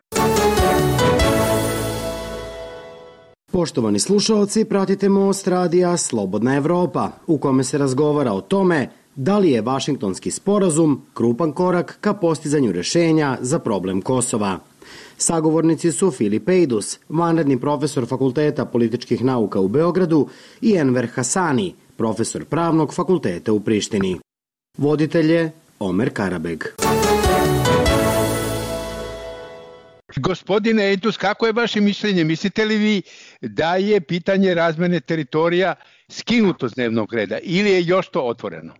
Poštovani slušalci, pratite Most radija Slobodna Evropa, u kome se razgovara o tome da li je Vašingtonski sporazum krupan korak ka postizanju rešenja za problem Kosova. Sagovornici su Filip Ejdus, vanredni profesor Fakulteta političkih nauka u Beogradu, i Enver Hasani, profesor Pravnog fakulteta u Prištini. Voditelj je Omer Karabeg. Gospodine Ejdus, kako je vaše mišljenje? Mislite li vi da je pitanje razmene teritorija skinuto s dnevnog reda ili je još to otvoreno?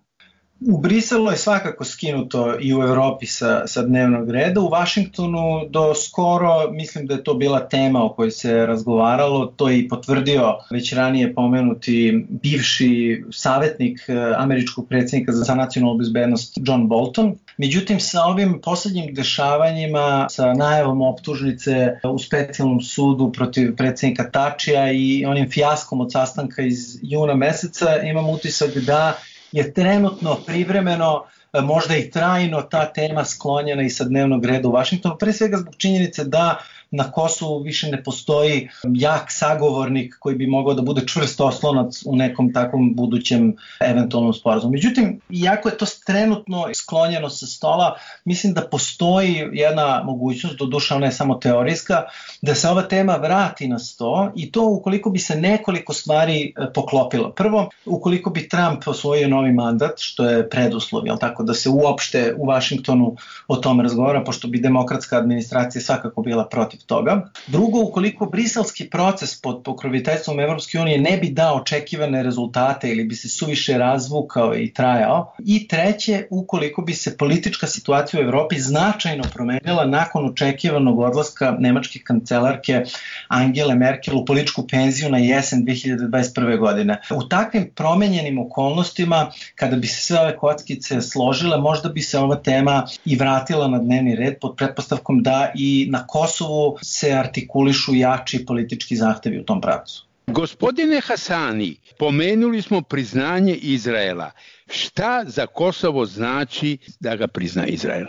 U Briselu je svakako skinuto i u Evropi sa, sa dnevnog reda. U Vašingtonu do skoro mislim da je to bila tema o kojoj se razgovaralo. To je i potvrdio već ranije pomenuti bivši savjetnik američkog predsjednika za nacionalnu bezbednost John Bolton. Međutim, sa ovim poslednjim dešavanjima, sa najavom optužnice u specijalnom sudu protiv predsjednika Tačija i onim fijaskom od sastanka iz juna meseca, imam utisak da je trenutno, privremeno, možda i trajno ta tema sklonjena i sa dnevnog reda u Vašingtonu, pre svega zbog činjenice da na Kosovu više ne postoji jak sagovornik koji bi mogao da bude čvrst oslonac u nekom takvom budućem eventualnom sporazumu. Međutim, iako je to trenutno sklonjeno sa stola, mislim da postoji jedna mogućnost, doduše ona je samo teorijska, da se ova tema vrati na sto, i to ukoliko bi se nekoliko stvari poklopilo. Prvo, ukoliko bi Trump osvojio novi mandat, što je preduslov, jel tako, da se uopšte u Vašingtonu o tome razgovara, pošto bi demokratska administracija svakako bila protiv toga. Drugo, ukoliko briselski proces pod pokroviteljstvom Evropske unije ne bi dao očekivane rezultate ili bi se suviše razvukao i trajao. I treće, ukoliko bi se politička situacija u Evropi značajno promenila nakon očekivanog odlaska nemačke kancelarke Angele Merkel u političku penziju na jesen dve hiljade dvadeset prve. godine. U takvim promenjenim okolnostima, kada bi se sve ove kockice složile, možda bi se ova tema i vratila na dnevni red pod pretpostavkom da i na Kosovu se artikulišu jači politički zahtevi u tom pravcu. Gospodine Hasani, pomenuli smo priznanje Izraela. Šta za Kosovo znači da ga prizna Izrael?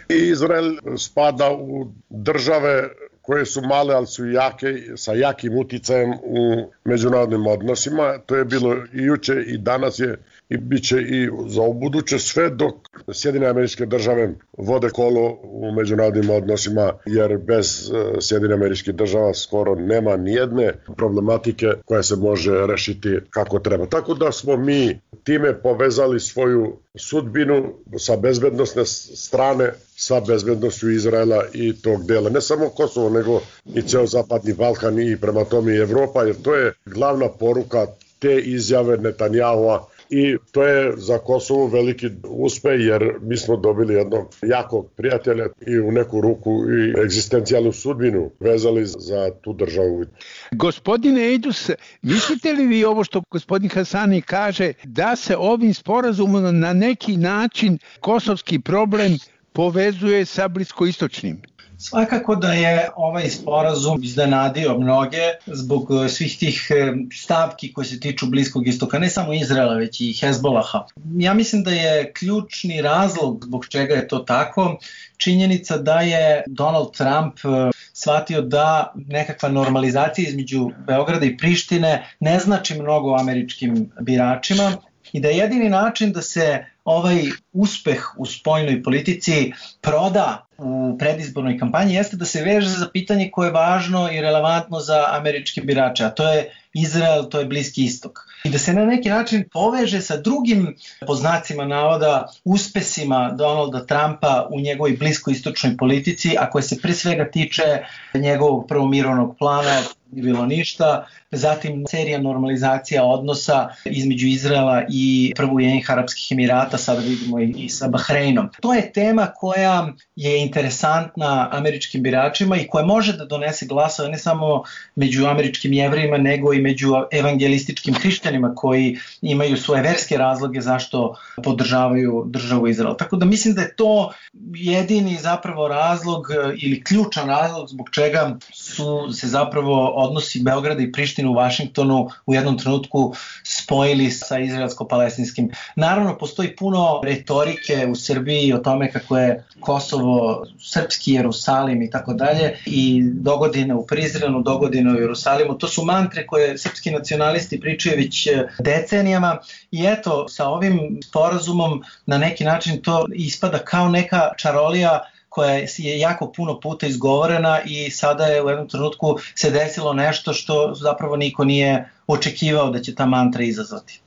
Izrael spada u države koje su male, ali su jake, sa jakim uticajem u međunarodnim odnosima. To je bilo i juče i danas je i bit će i za ubuduće, sve dok Sjedinjene Američke Države vode kolo u međunarodnim odnosima, jer bez Sjedinjenih Američkih Država skoro nema nijedne problematike koja se može rešiti kako treba. Tako da smo mi time povezali svoju sudbinu sa bezbednosne strane sa bezbednošću Izraela i tog dela. Ne samo Kosovo, nego i ceo Zapadni Balkan i prema tome i Evropa, jer to je glavna poruka te izjave Netanjahua. I to je za Kosovo veliki uspeh, jer mi smo dobili jednog jakog prijatelja i u neku ruku i egzistencijalnu sudbinu vezali za tu državu. Gospodine Ejdus, mislite li vi ovo što gospodin Hasani kaže, da se ovim sporazumom na neki način kosovski problem povezuje sa bliskoistočnim? Svakako da je ovaj sporazum iznenadio mnoge zbog svih tih stavki koje se tiču Bliskog istoka, ne samo Izraela, već i Hezbolaha. Ja mislim da je ključni razlog zbog čega je to tako činjenica da je Donald Trump shvatio da nekakva normalizacija između Beograda i Prištine ne znači mnogo američkim biračima i da je jedini način da se ovaj uspeh u spoljnoj politici proda u predizbornoj kampanji jeste da se veže za pitanje koje je važno i relevantno za američke birače, a to je Izrael, to je Bliski istok. I da se na neki način poveže sa drugim, po znacima navoda, uspesima Donalda Trumpa u njegovoj bliskoistočnoj politici, a koje se pre svega tiče njegovog prvo mirovnog plana, nije bilo ništa, zatim serija normalizacija odnosa između Izraela i prvo Ujedinjenih Arapskih Emirata, sada vidimo i, i sa Bahreinom. To je tema koja je interesantna američkim biračima i koja može da donese glasove ne samo među američkim Jevrejima, nego i među evangelističkim hrišćanima koji imaju svoje verske razloge zašto podržavaju državu Izrael. Tako da mislim da je to jedini zapravo razlog ili ključan razlog zbog čega su se zapravo odnosi Beograda i Prištine u Vašingtonu u jednom trenutku spojili sa izraelsko-palestinskim. Naravno, postoji puno retorike u Srbiji o tome kako je Kosovo srpski Jerusalim i tako dalje, i dogodine u Prizrenu, dogodine u Jerusalimu. To su mantre koje srpski nacionalisti pričaju već decenijama i eto, sa ovim sporazumom na neki način to ispada kao neka čarolija koja je jako puno puta izgovorena i sada je u jednom trenutku se desilo nešto što zapravo niko nije očekivao da će ta mantra izazvati.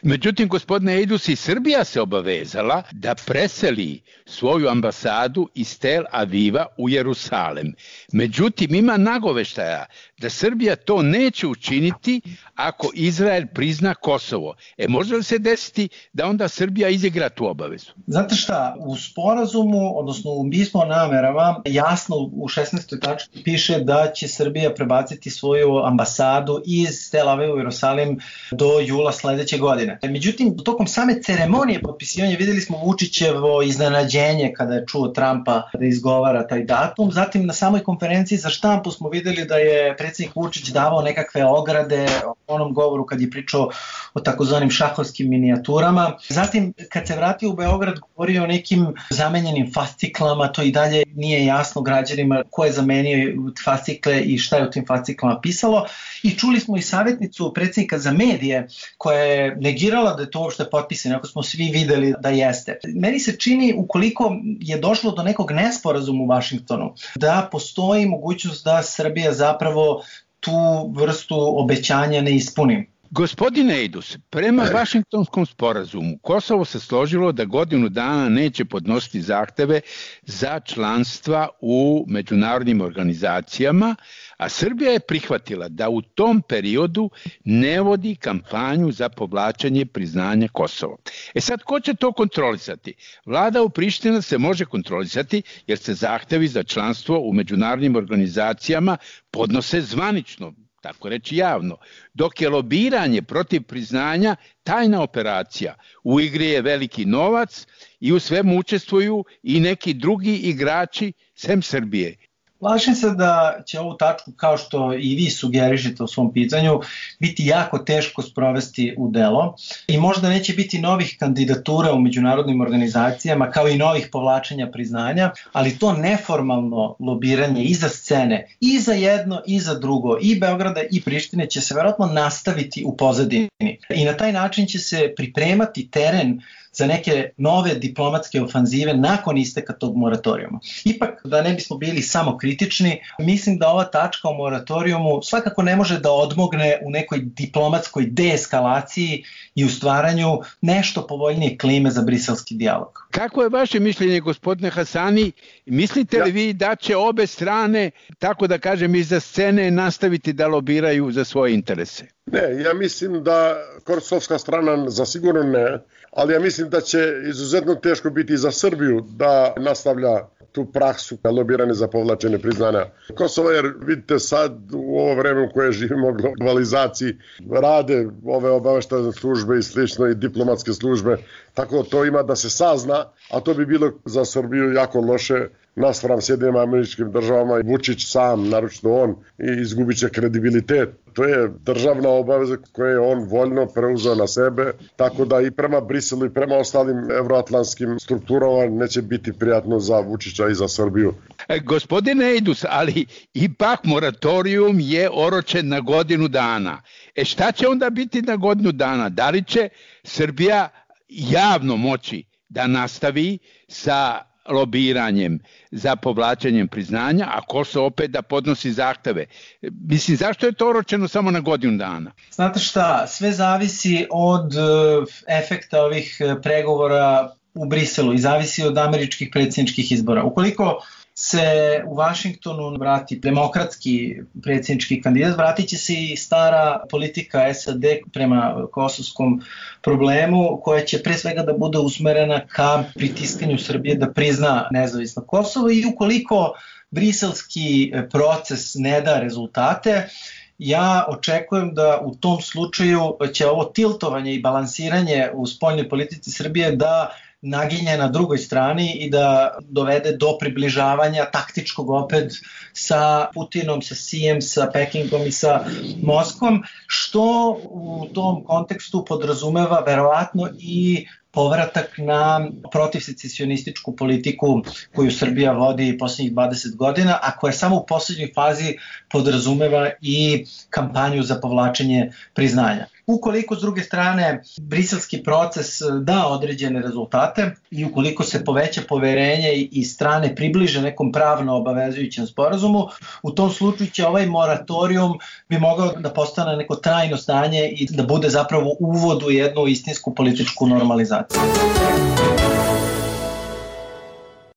Međutim, gospodine Eidus, i Srbija se obavezala da preseli svoju ambasadu iz Tel Aviva u Jerusalem. Međutim, ima nagoveštaja da Srbija to neće učiniti ako Izrael prizna Kosovo. E, može li se desiti da onda Srbija izigra tu obavezu? Znate šta, u sporazumu, odnosno u pismu o namerama, jasno u šesnaestoj tački piše da će Srbija prebaciti svoju ambasadu iz Tel Aviva u Jerusalim do jula sledeće godine. Međutim, tokom same ceremonije potpisivanja videli smo Vučićevo iznenađenje kada je čuo Trumpa da izgovara taj datum. Zatim na samoj konferenciji za štampu smo videli da je predsjednik Vučić davao nekakve ograde u onom govoru kad je pričao o takozvanim šahovskim minijaturama. Zatim, kad se vratio u Beograd, govorio o nekim zamenjenim fasciklama, to i dalje nije jasno građanima ko je zamenio fascikle i šta je u tim fasciklama pisalo. I čuli smo i savjetnicu predsjednika za medije koja je negirala da je to uopšte potpisano, ako smo svi videli da jeste. Meni se čini, ukoliko je došlo do nekog nesporazuma u Vašingtonu, da postoji mogućnost da Srbija zapravo tu vrstu obećanja ne ispuni. Gospodine Eidus, prema Vašingtonskom sporazumu Kosovo se složilo da godinu dana neće podnositi zahteve za članstva u međunarodnim organizacijama, a Srbija je prihvatila da u tom periodu ne vodi kampanju za povlačenje priznanja Kosova. E sad, ko će to kontrolisati? Vlada u Prištini se može kontrolisati jer se zahtevi za članstvo u međunarodnim organizacijama podnose zvanično, tako reći javno, dok je lobiranje protiv priznanja tajna operacija. U igri je veliki novac i u svemu učestvuju i neki drugi igrači sem Srbije. Plašim se da će ovu tačku, kao što i vi sugerišete u svom pitanju, biti jako teško sprovesti u delo i možda neće biti novih kandidatura u međunarodnim organizacijama kao i novih povlačenja priznanja, ali to neformalno lobiranje iza scene, i za jedno i za drugo, i Beograda i Prištine će se verovatno nastaviti u pozadini i na taj način će se pripremati teren za neke nove diplomatske ofanzive nakon isteka tog moratorijuma. Ipak, da ne bismo bili samo kritični, mislim da ova tačka o moratorijumu svakako ne može da odmogne u nekoj diplomatskoj deeskalaciji i u stvaranju nešto povoljnije klime za briselski dijalog. Kako je vaše mišljenje, gospodine Hasani? Mislite li vi da će obe strane, tako da kažem, iza scene nastaviti da lobiraju za svoje interese? Ne, ja mislim da kosovska strana zasigurno ne, ali ja mislim da će izuzetno teško biti za Srbiju da nastavlja tu praksu lobiranja za povlačenje priznanja Kosova, jer vidite sad u ovo vreme u koje živimo globalizaciji rade ove obaveštajne službe i slično i diplomatske službe, tako to ima da se sazna, a to bi bilo za Srbiju jako loše naspram Sjedinjenim Američkim Državama i Vučić sam, naročito on, i izgubit će kredibilitet. To je državna obaveza koju je on voljno preuzeo na sebe, tako da i prema Briselu i prema ostalim evroatlantskim strukturama neće biti prijatno za Vučića i za Srbiju. E, gospodine Eidus, ali ipak moratorijum je oročen na godinu dana. E šta će onda biti na godinu dana? Da li će Srbija javno moći da nastavi sa lobiranjem za povlačenjem priznanja, a Kosovo opet da podnosi zahteve. Mislim, zašto je to oročeno samo na godinu dana? Znate šta, sve zavisi od efekta ovih pregovora u Briselu i zavisi od američkih predsjedničkih izbora. Ukoliko se u Vašingtonu vrati demokratski predsjednički kandidat, vratit će se i stara politika S A D prema kosovskom problemu, koja će pre svega da bude usmerena ka pritiskanju Srbije da prizna nezavisno Kosovo, i ukoliko briselski proces ne da rezultate, ja očekujem da u tom slučaju će ovo tiltovanje i balansiranje u spoljnoj politici Srbije da naginje na drugoj strani i da dovede do približavanja taktičkog opet sa Putinom, sa Sijem, sa Pekingom i sa Moskvom, što u tom kontekstu podrazumeva verovatno i povratak na protivsecesionističku politiku koju Srbija vodi posljednjih dvadeset godina, a koja samo u posljednjoj fazi podrazumeva i kampanju za povlačenje priznanja. Ukoliko s druge strane briselski proces da određene rezultate i ukoliko se poveća poverenje i strane približe nekom pravno obavezujućem sporazumu, u tom slučaju će ovaj moratorijum bi mogao da postane neko trajno stanje i da bude zapravo uvod u jednu istinsku političku normalizaciju.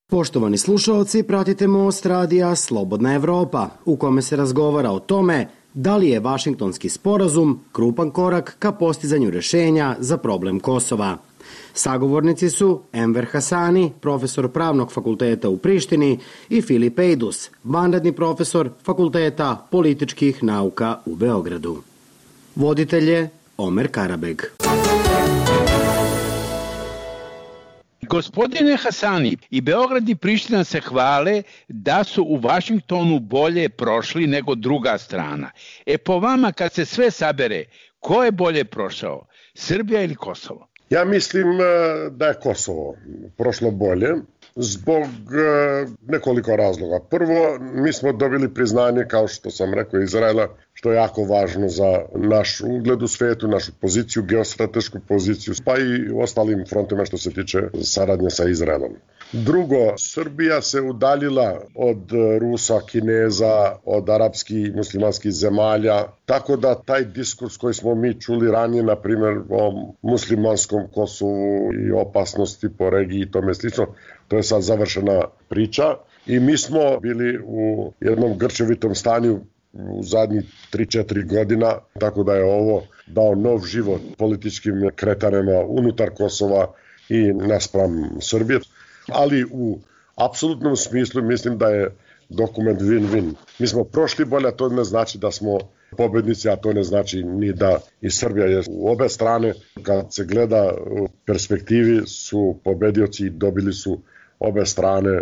Poštovani slušalci, pratite Most radija Slobodna Evropa, u kome se razgovara o tome da li je Vašingtonski sporazum krupan korak ka postizanju rešenja za problem Kosova. Sagovornici su Enver Hasani, profesor Pravnog fakulteta u Prištini, i Filip Ejdus, vanredni profesor Fakulteta političkih nauka u Beogradu. Voditelj je Omer Karabeg. Gospodine Hasani, i Beograd i Priština se hvale da su u Vašingtonu bolje prošli nego druga strana. E po vama, kad se sve sabere, ko je bolje prošao, Srbija ili Kosovo? Ja mislim da je Kosovo prošlo bolje zbog nekoliko razloga. Prvo, mi smo dobili priznanje, kao što sam rekao, Izraela, što je jako važno za naš ugled u svetu, našu poziciju, geostratešku poziciju, pa i u ostalim frontima što se tiče saradnje sa Izraelom. Drugo, Srbija se udaljila od Rusa, Kineza, od arapskih i muslimanskih zemalja, tako da taj diskurs koji smo mi čuli ranije, na primjer o muslimanskom Kosovu i opasnosti po regiji i tome slično, to je sad završena priča i mi smo bili u jednom grčevitom stanju u zadnjih tri četiri godina, tako da je ovo dao nov život političkim kretanjima unutar Kosova i naspram Srbije. Ali u apsolutnom smislu mislim da je dokument win-win. Mi smo prošli bolje, a to ne znači da smo pobednici, a to ne znači ni da i Srbija je u obe strane. Kad se gleda u perspektivi su pobedioci i dobili su obe strane.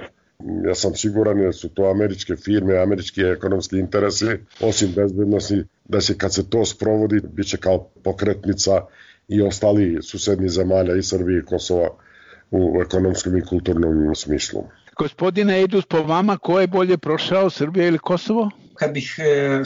Ja sam siguran jer su to američke firme, američki ekonomski interesi, osim bezbednosti, da se kad se to sprovodi, bit će kao pokretnica i ostali susedni zemalja i Srbije i Kosova u ekonomskom i kulturnom smislu. Gospodine Ejdus, po vama ko je bolje prošao, Srbija ili Kosovo? Kad bih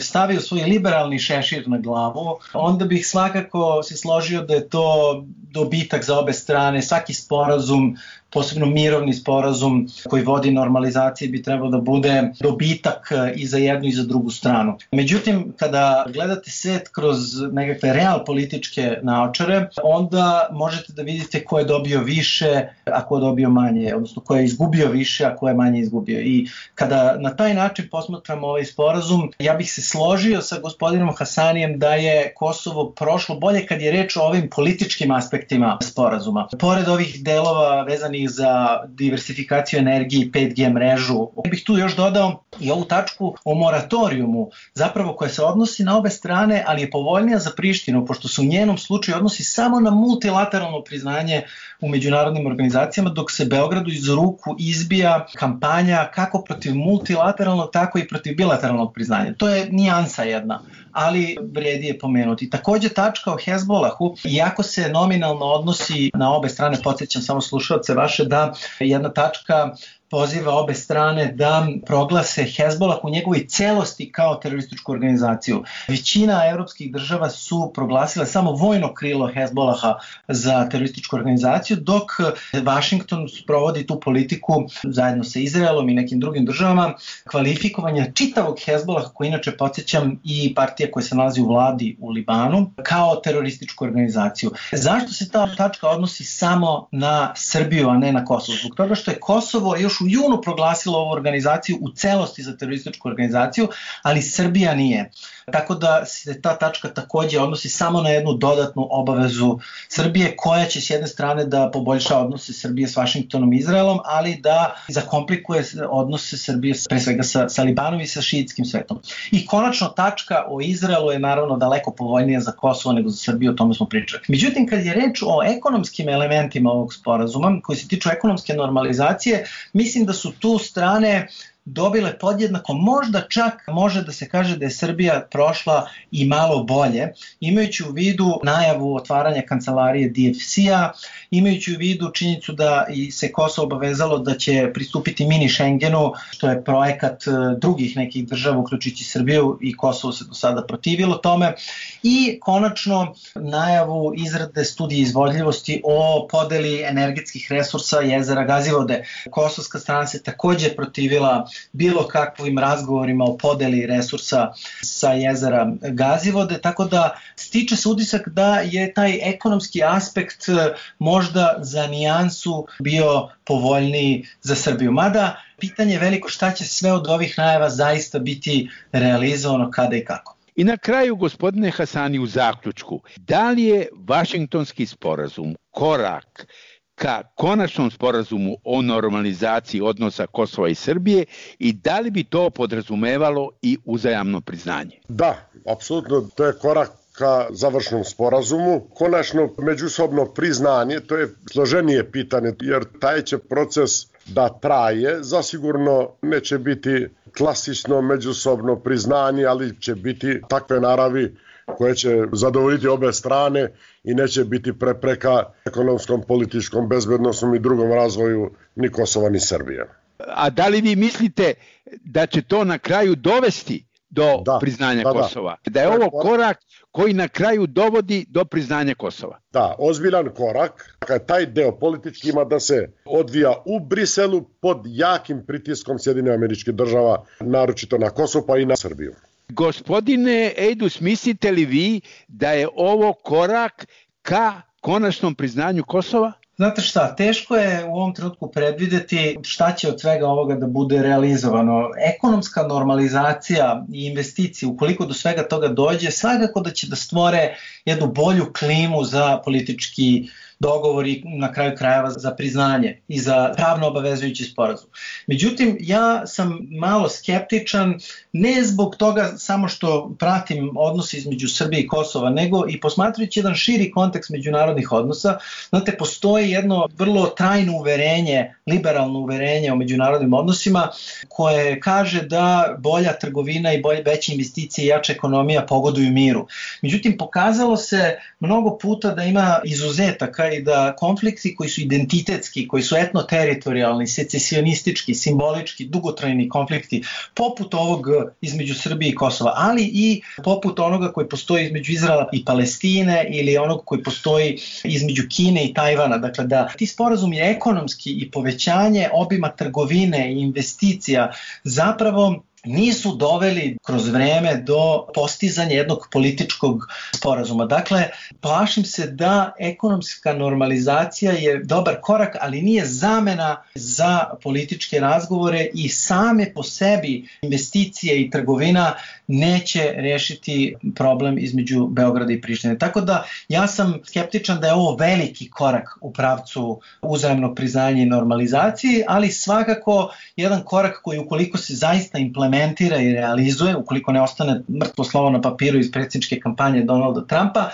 stavio svoj liberalni šešir na glavu, onda bih svakako se složio da je to dobitak za obe strane. Svaki sporazum, posebno mirovni sporazum koji vodi normalizaciji, bi trebao da bude dobitak i za jednu i za drugu stranu. Međutim, kada gledate svet kroz nekakve real političke naočare, onda možete da vidite ko je dobio više, a ko je dobio manje, odnosno ko je izgubio više, a ko je manje izgubio. I kada na taj način posmatramo ovaj sporazum, ja bih se složio sa gospodinom Hasanijem da je Kosovo prošlo bolje kad je reč o ovim političkim aspektima sporazuma. Pored ovih delova vezanih za diversifikaciju energije i pet G mrežu, ja bih tu još dodao i ovu tačku o moratorijumu, zapravo koja se odnosi na obe strane, ali je povoljnija za Prištinu, pošto se u njenom slučaju odnosi samo na multilateralno priznanje u međunarodnim organizacijama, dok se Beogradu iz ruku izbija kampanja kako protiv multilateralnog, tako i protiv bilateralnog priznanja. To je nijansa jedna, ali vredi je pomenuti. Takođe tačka o Hezbolahu, iako se nominalno odnosi na obe strane, podsjećam samo slušalce vaše da jedna tačka poziva obe strane da proglase Hezbolah u njegovoj celosti kao terorističku organizaciju. Većina evropskih država su proglasile samo vojno krilo Hezbolaha za terorističku organizaciju, dok Vašington provodi tu politiku zajedno sa Izraelom i nekim drugim državama kvalifikovanja čitavog Hezbolaha, koji inače podsjećam i partija koja se nalazi u vladi u Libanu, kao terorističku organizaciju. Zašto se ta tačka odnosi samo na Srbiju, a ne na Kosovo? Zbog toga što je Kosovo još u junu proglasilo ovu organizaciju u celosti za terorističku organizaciju, ali Srbija nije. Tako da se ta tačka takođe odnosi samo na jednu dodatnu obavezu Srbije, koja će s jedne strane da poboljša odnose Srbije s Vašingtonom i Izraelom, ali da zakomplikuje odnose Srbije pre svega sa, sa Libanom i sa šiitskim svetom. I konačno tačka o Izraelu je naravno daleko povoljnija za Kosovo nego za Srbiju, o tome smo pričali. Međutim, kad je reč o ekonomskim elementima ovog sporazuma, koji se tiču ekonomske normalizacije, mislim da su tu strane dobile podjednako, možda čak može da se kaže da je Srbija prošla i malo bolje, imajući u vidu najavu otvaranja kancelarije D F C-a, imajući u vidu činjenicu da i se Kosovo obavezalo da će pristupiti mini Schengenu, što je projekat drugih nekih država, uključujući Srbiju, i Kosovo se do sada protivilo tome, i konačno najavu izrade studije izvodljivosti o podeli energetskih resursa jezera Gazivode. Kosovska strana se takođe protivila bilo kakvim razgovorima o podeli resursa sa jezera Gazivode, tako da stiče se utisak da je taj ekonomski aspekt možda za nijansu bio povoljniji za Srbiju. Mada pitanje je veliko šta će sve od ovih najava zaista biti realizovano, kada i kako. I na kraju, gospodine Hasani, u zaključku, da li je Vašingtonski sporazum korak ka konačnom sporazumu o normalizaciji odnosa Kosova i Srbije i da li bi to podrazumevalo i uzajamno priznanje? Da, apsolutno, to je korak ka završnom sporazumu. Konačno međusobno priznanje, to je složenije pitanje, jer taj će proces da traje, zasigurno neće biti klasično međusobno priznanje, ali će biti takve naravi koje će zadovoljiti obe strane i neće biti prepreka ekonomskom, političkom, bezbednosnom i drugom razvoju ni Kosova ni Srbije. A da li vi mislite da će to na kraju dovesti do da, priznanja da, Kosova? Da. da je ovo korak koji na kraju dovodi do priznanja Kosova? Da, ozbiljan korak. Taj deo politički ima da se odvija u Briselu pod jakim pritiskom Sjedinjenih Američkih Država, naročito na Kosovo pa i na Srbiju. Gospodine Ejdus, mislite li vi da je ovo korak ka konačnom priznanju Kosova? Znate šta, teško je u ovom trenutku predvideti šta će od svega ovoga da bude realizovano. Ekonomska normalizacija i investicije, ukoliko do svega toga dođe, svakako da će da stvore jednu bolju klimu za politički dogovor i na kraju krajeva za priznanje i za pravno obavezujući sporazum. Međutim, ja sam malo skeptičan, ne zbog toga samo što pratim odnose između Srbije i Kosova, nego i posmatrajući jedan širi kontekst međunarodnih odnosa. Znate, postoji jedno vrlo trajno uverenje, liberalno uverenje o međunarodnim odnosima, koje kaže da bolja trgovina i bolje veće investicije i jača ekonomija pogoduju miru. Međutim, pokazalo se mnogo puta da ima izuzetaka i da konflikti koji su identitetski, koji su etno-teritorijalni, secesionistički, simbolički, dugotrajni konflikti, poput ovog između Srbije i Kosova, ali i poput onoga koji postoji između Izraela i Palestine ili onog koji postoji između Kine i Tajvana. Dakle, da ti sporazumi ekonomski i povećanje obima trgovine i investicija zapravo nisu doveli kroz vreme do postizanja jednog političkog sporazuma. Dakle, plašim se da ekonomska normalizacija je dobar korak, ali nije zamena za političke razgovore i same po sebi investicije i trgovina neće rešiti problem između Beograda i Prištine. Tako da ja sam skeptičan da je ovo veliki korak u pravcu uzajamnog priznanja i normalizacije, ali svakako jedan korak koji ukoliko se zaista implementira i realizuje, ukoliko ne ostane mrtvo slovo na papiru iz predsjedničke kampanje Donalda Trumpa,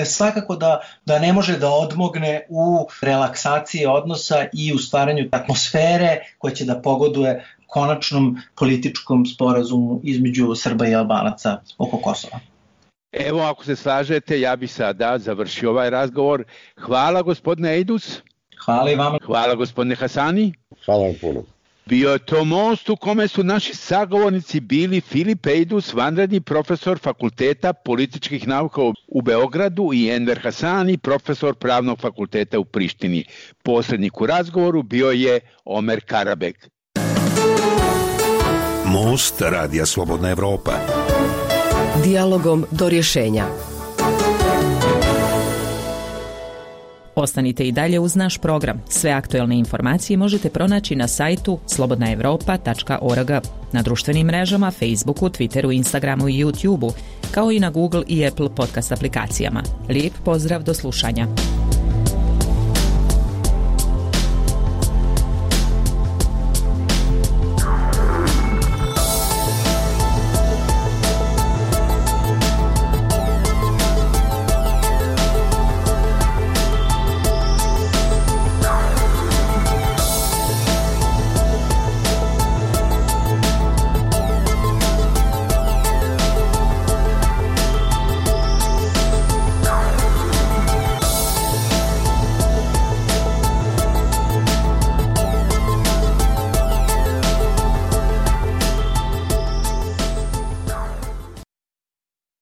svakako da, da ne može da odmogne u relaksaciji odnosa i u stvaranju atmosfere koja će da pogoduje konačnom političkom sporazumu između Srba i Albanaca oko Kosova. Evo, ako se slažete, ja bih sada završio ovaj razgovor. Hvala, gospodine Ejdus. Hvala i vama. Hvala, gospodine Hasani. Hvala vam puno. Bio je to most u kome su naši sagovornici bili Filip Ejdus, vanredni profesor Fakulteta političkih nauka u Beogradu, i Enver Hasani, profesor Pravnog fakulteta u Prištini. Posrednik u razgovoru bio je Omer Karabek. Most Radija Slobodna Evropa. Dijalogom do rješenja. Ostanite i dalje uz naš program. Sve aktuelne informacije možete pronaći na sajtu slobodna evropa tačka org, na društvenim mrežama, Facebooku, Twitteru, Instagramu i YouTubeu, kao i na Google i Apple podcast aplikacijama. Lijep pozdrav, do slušanja.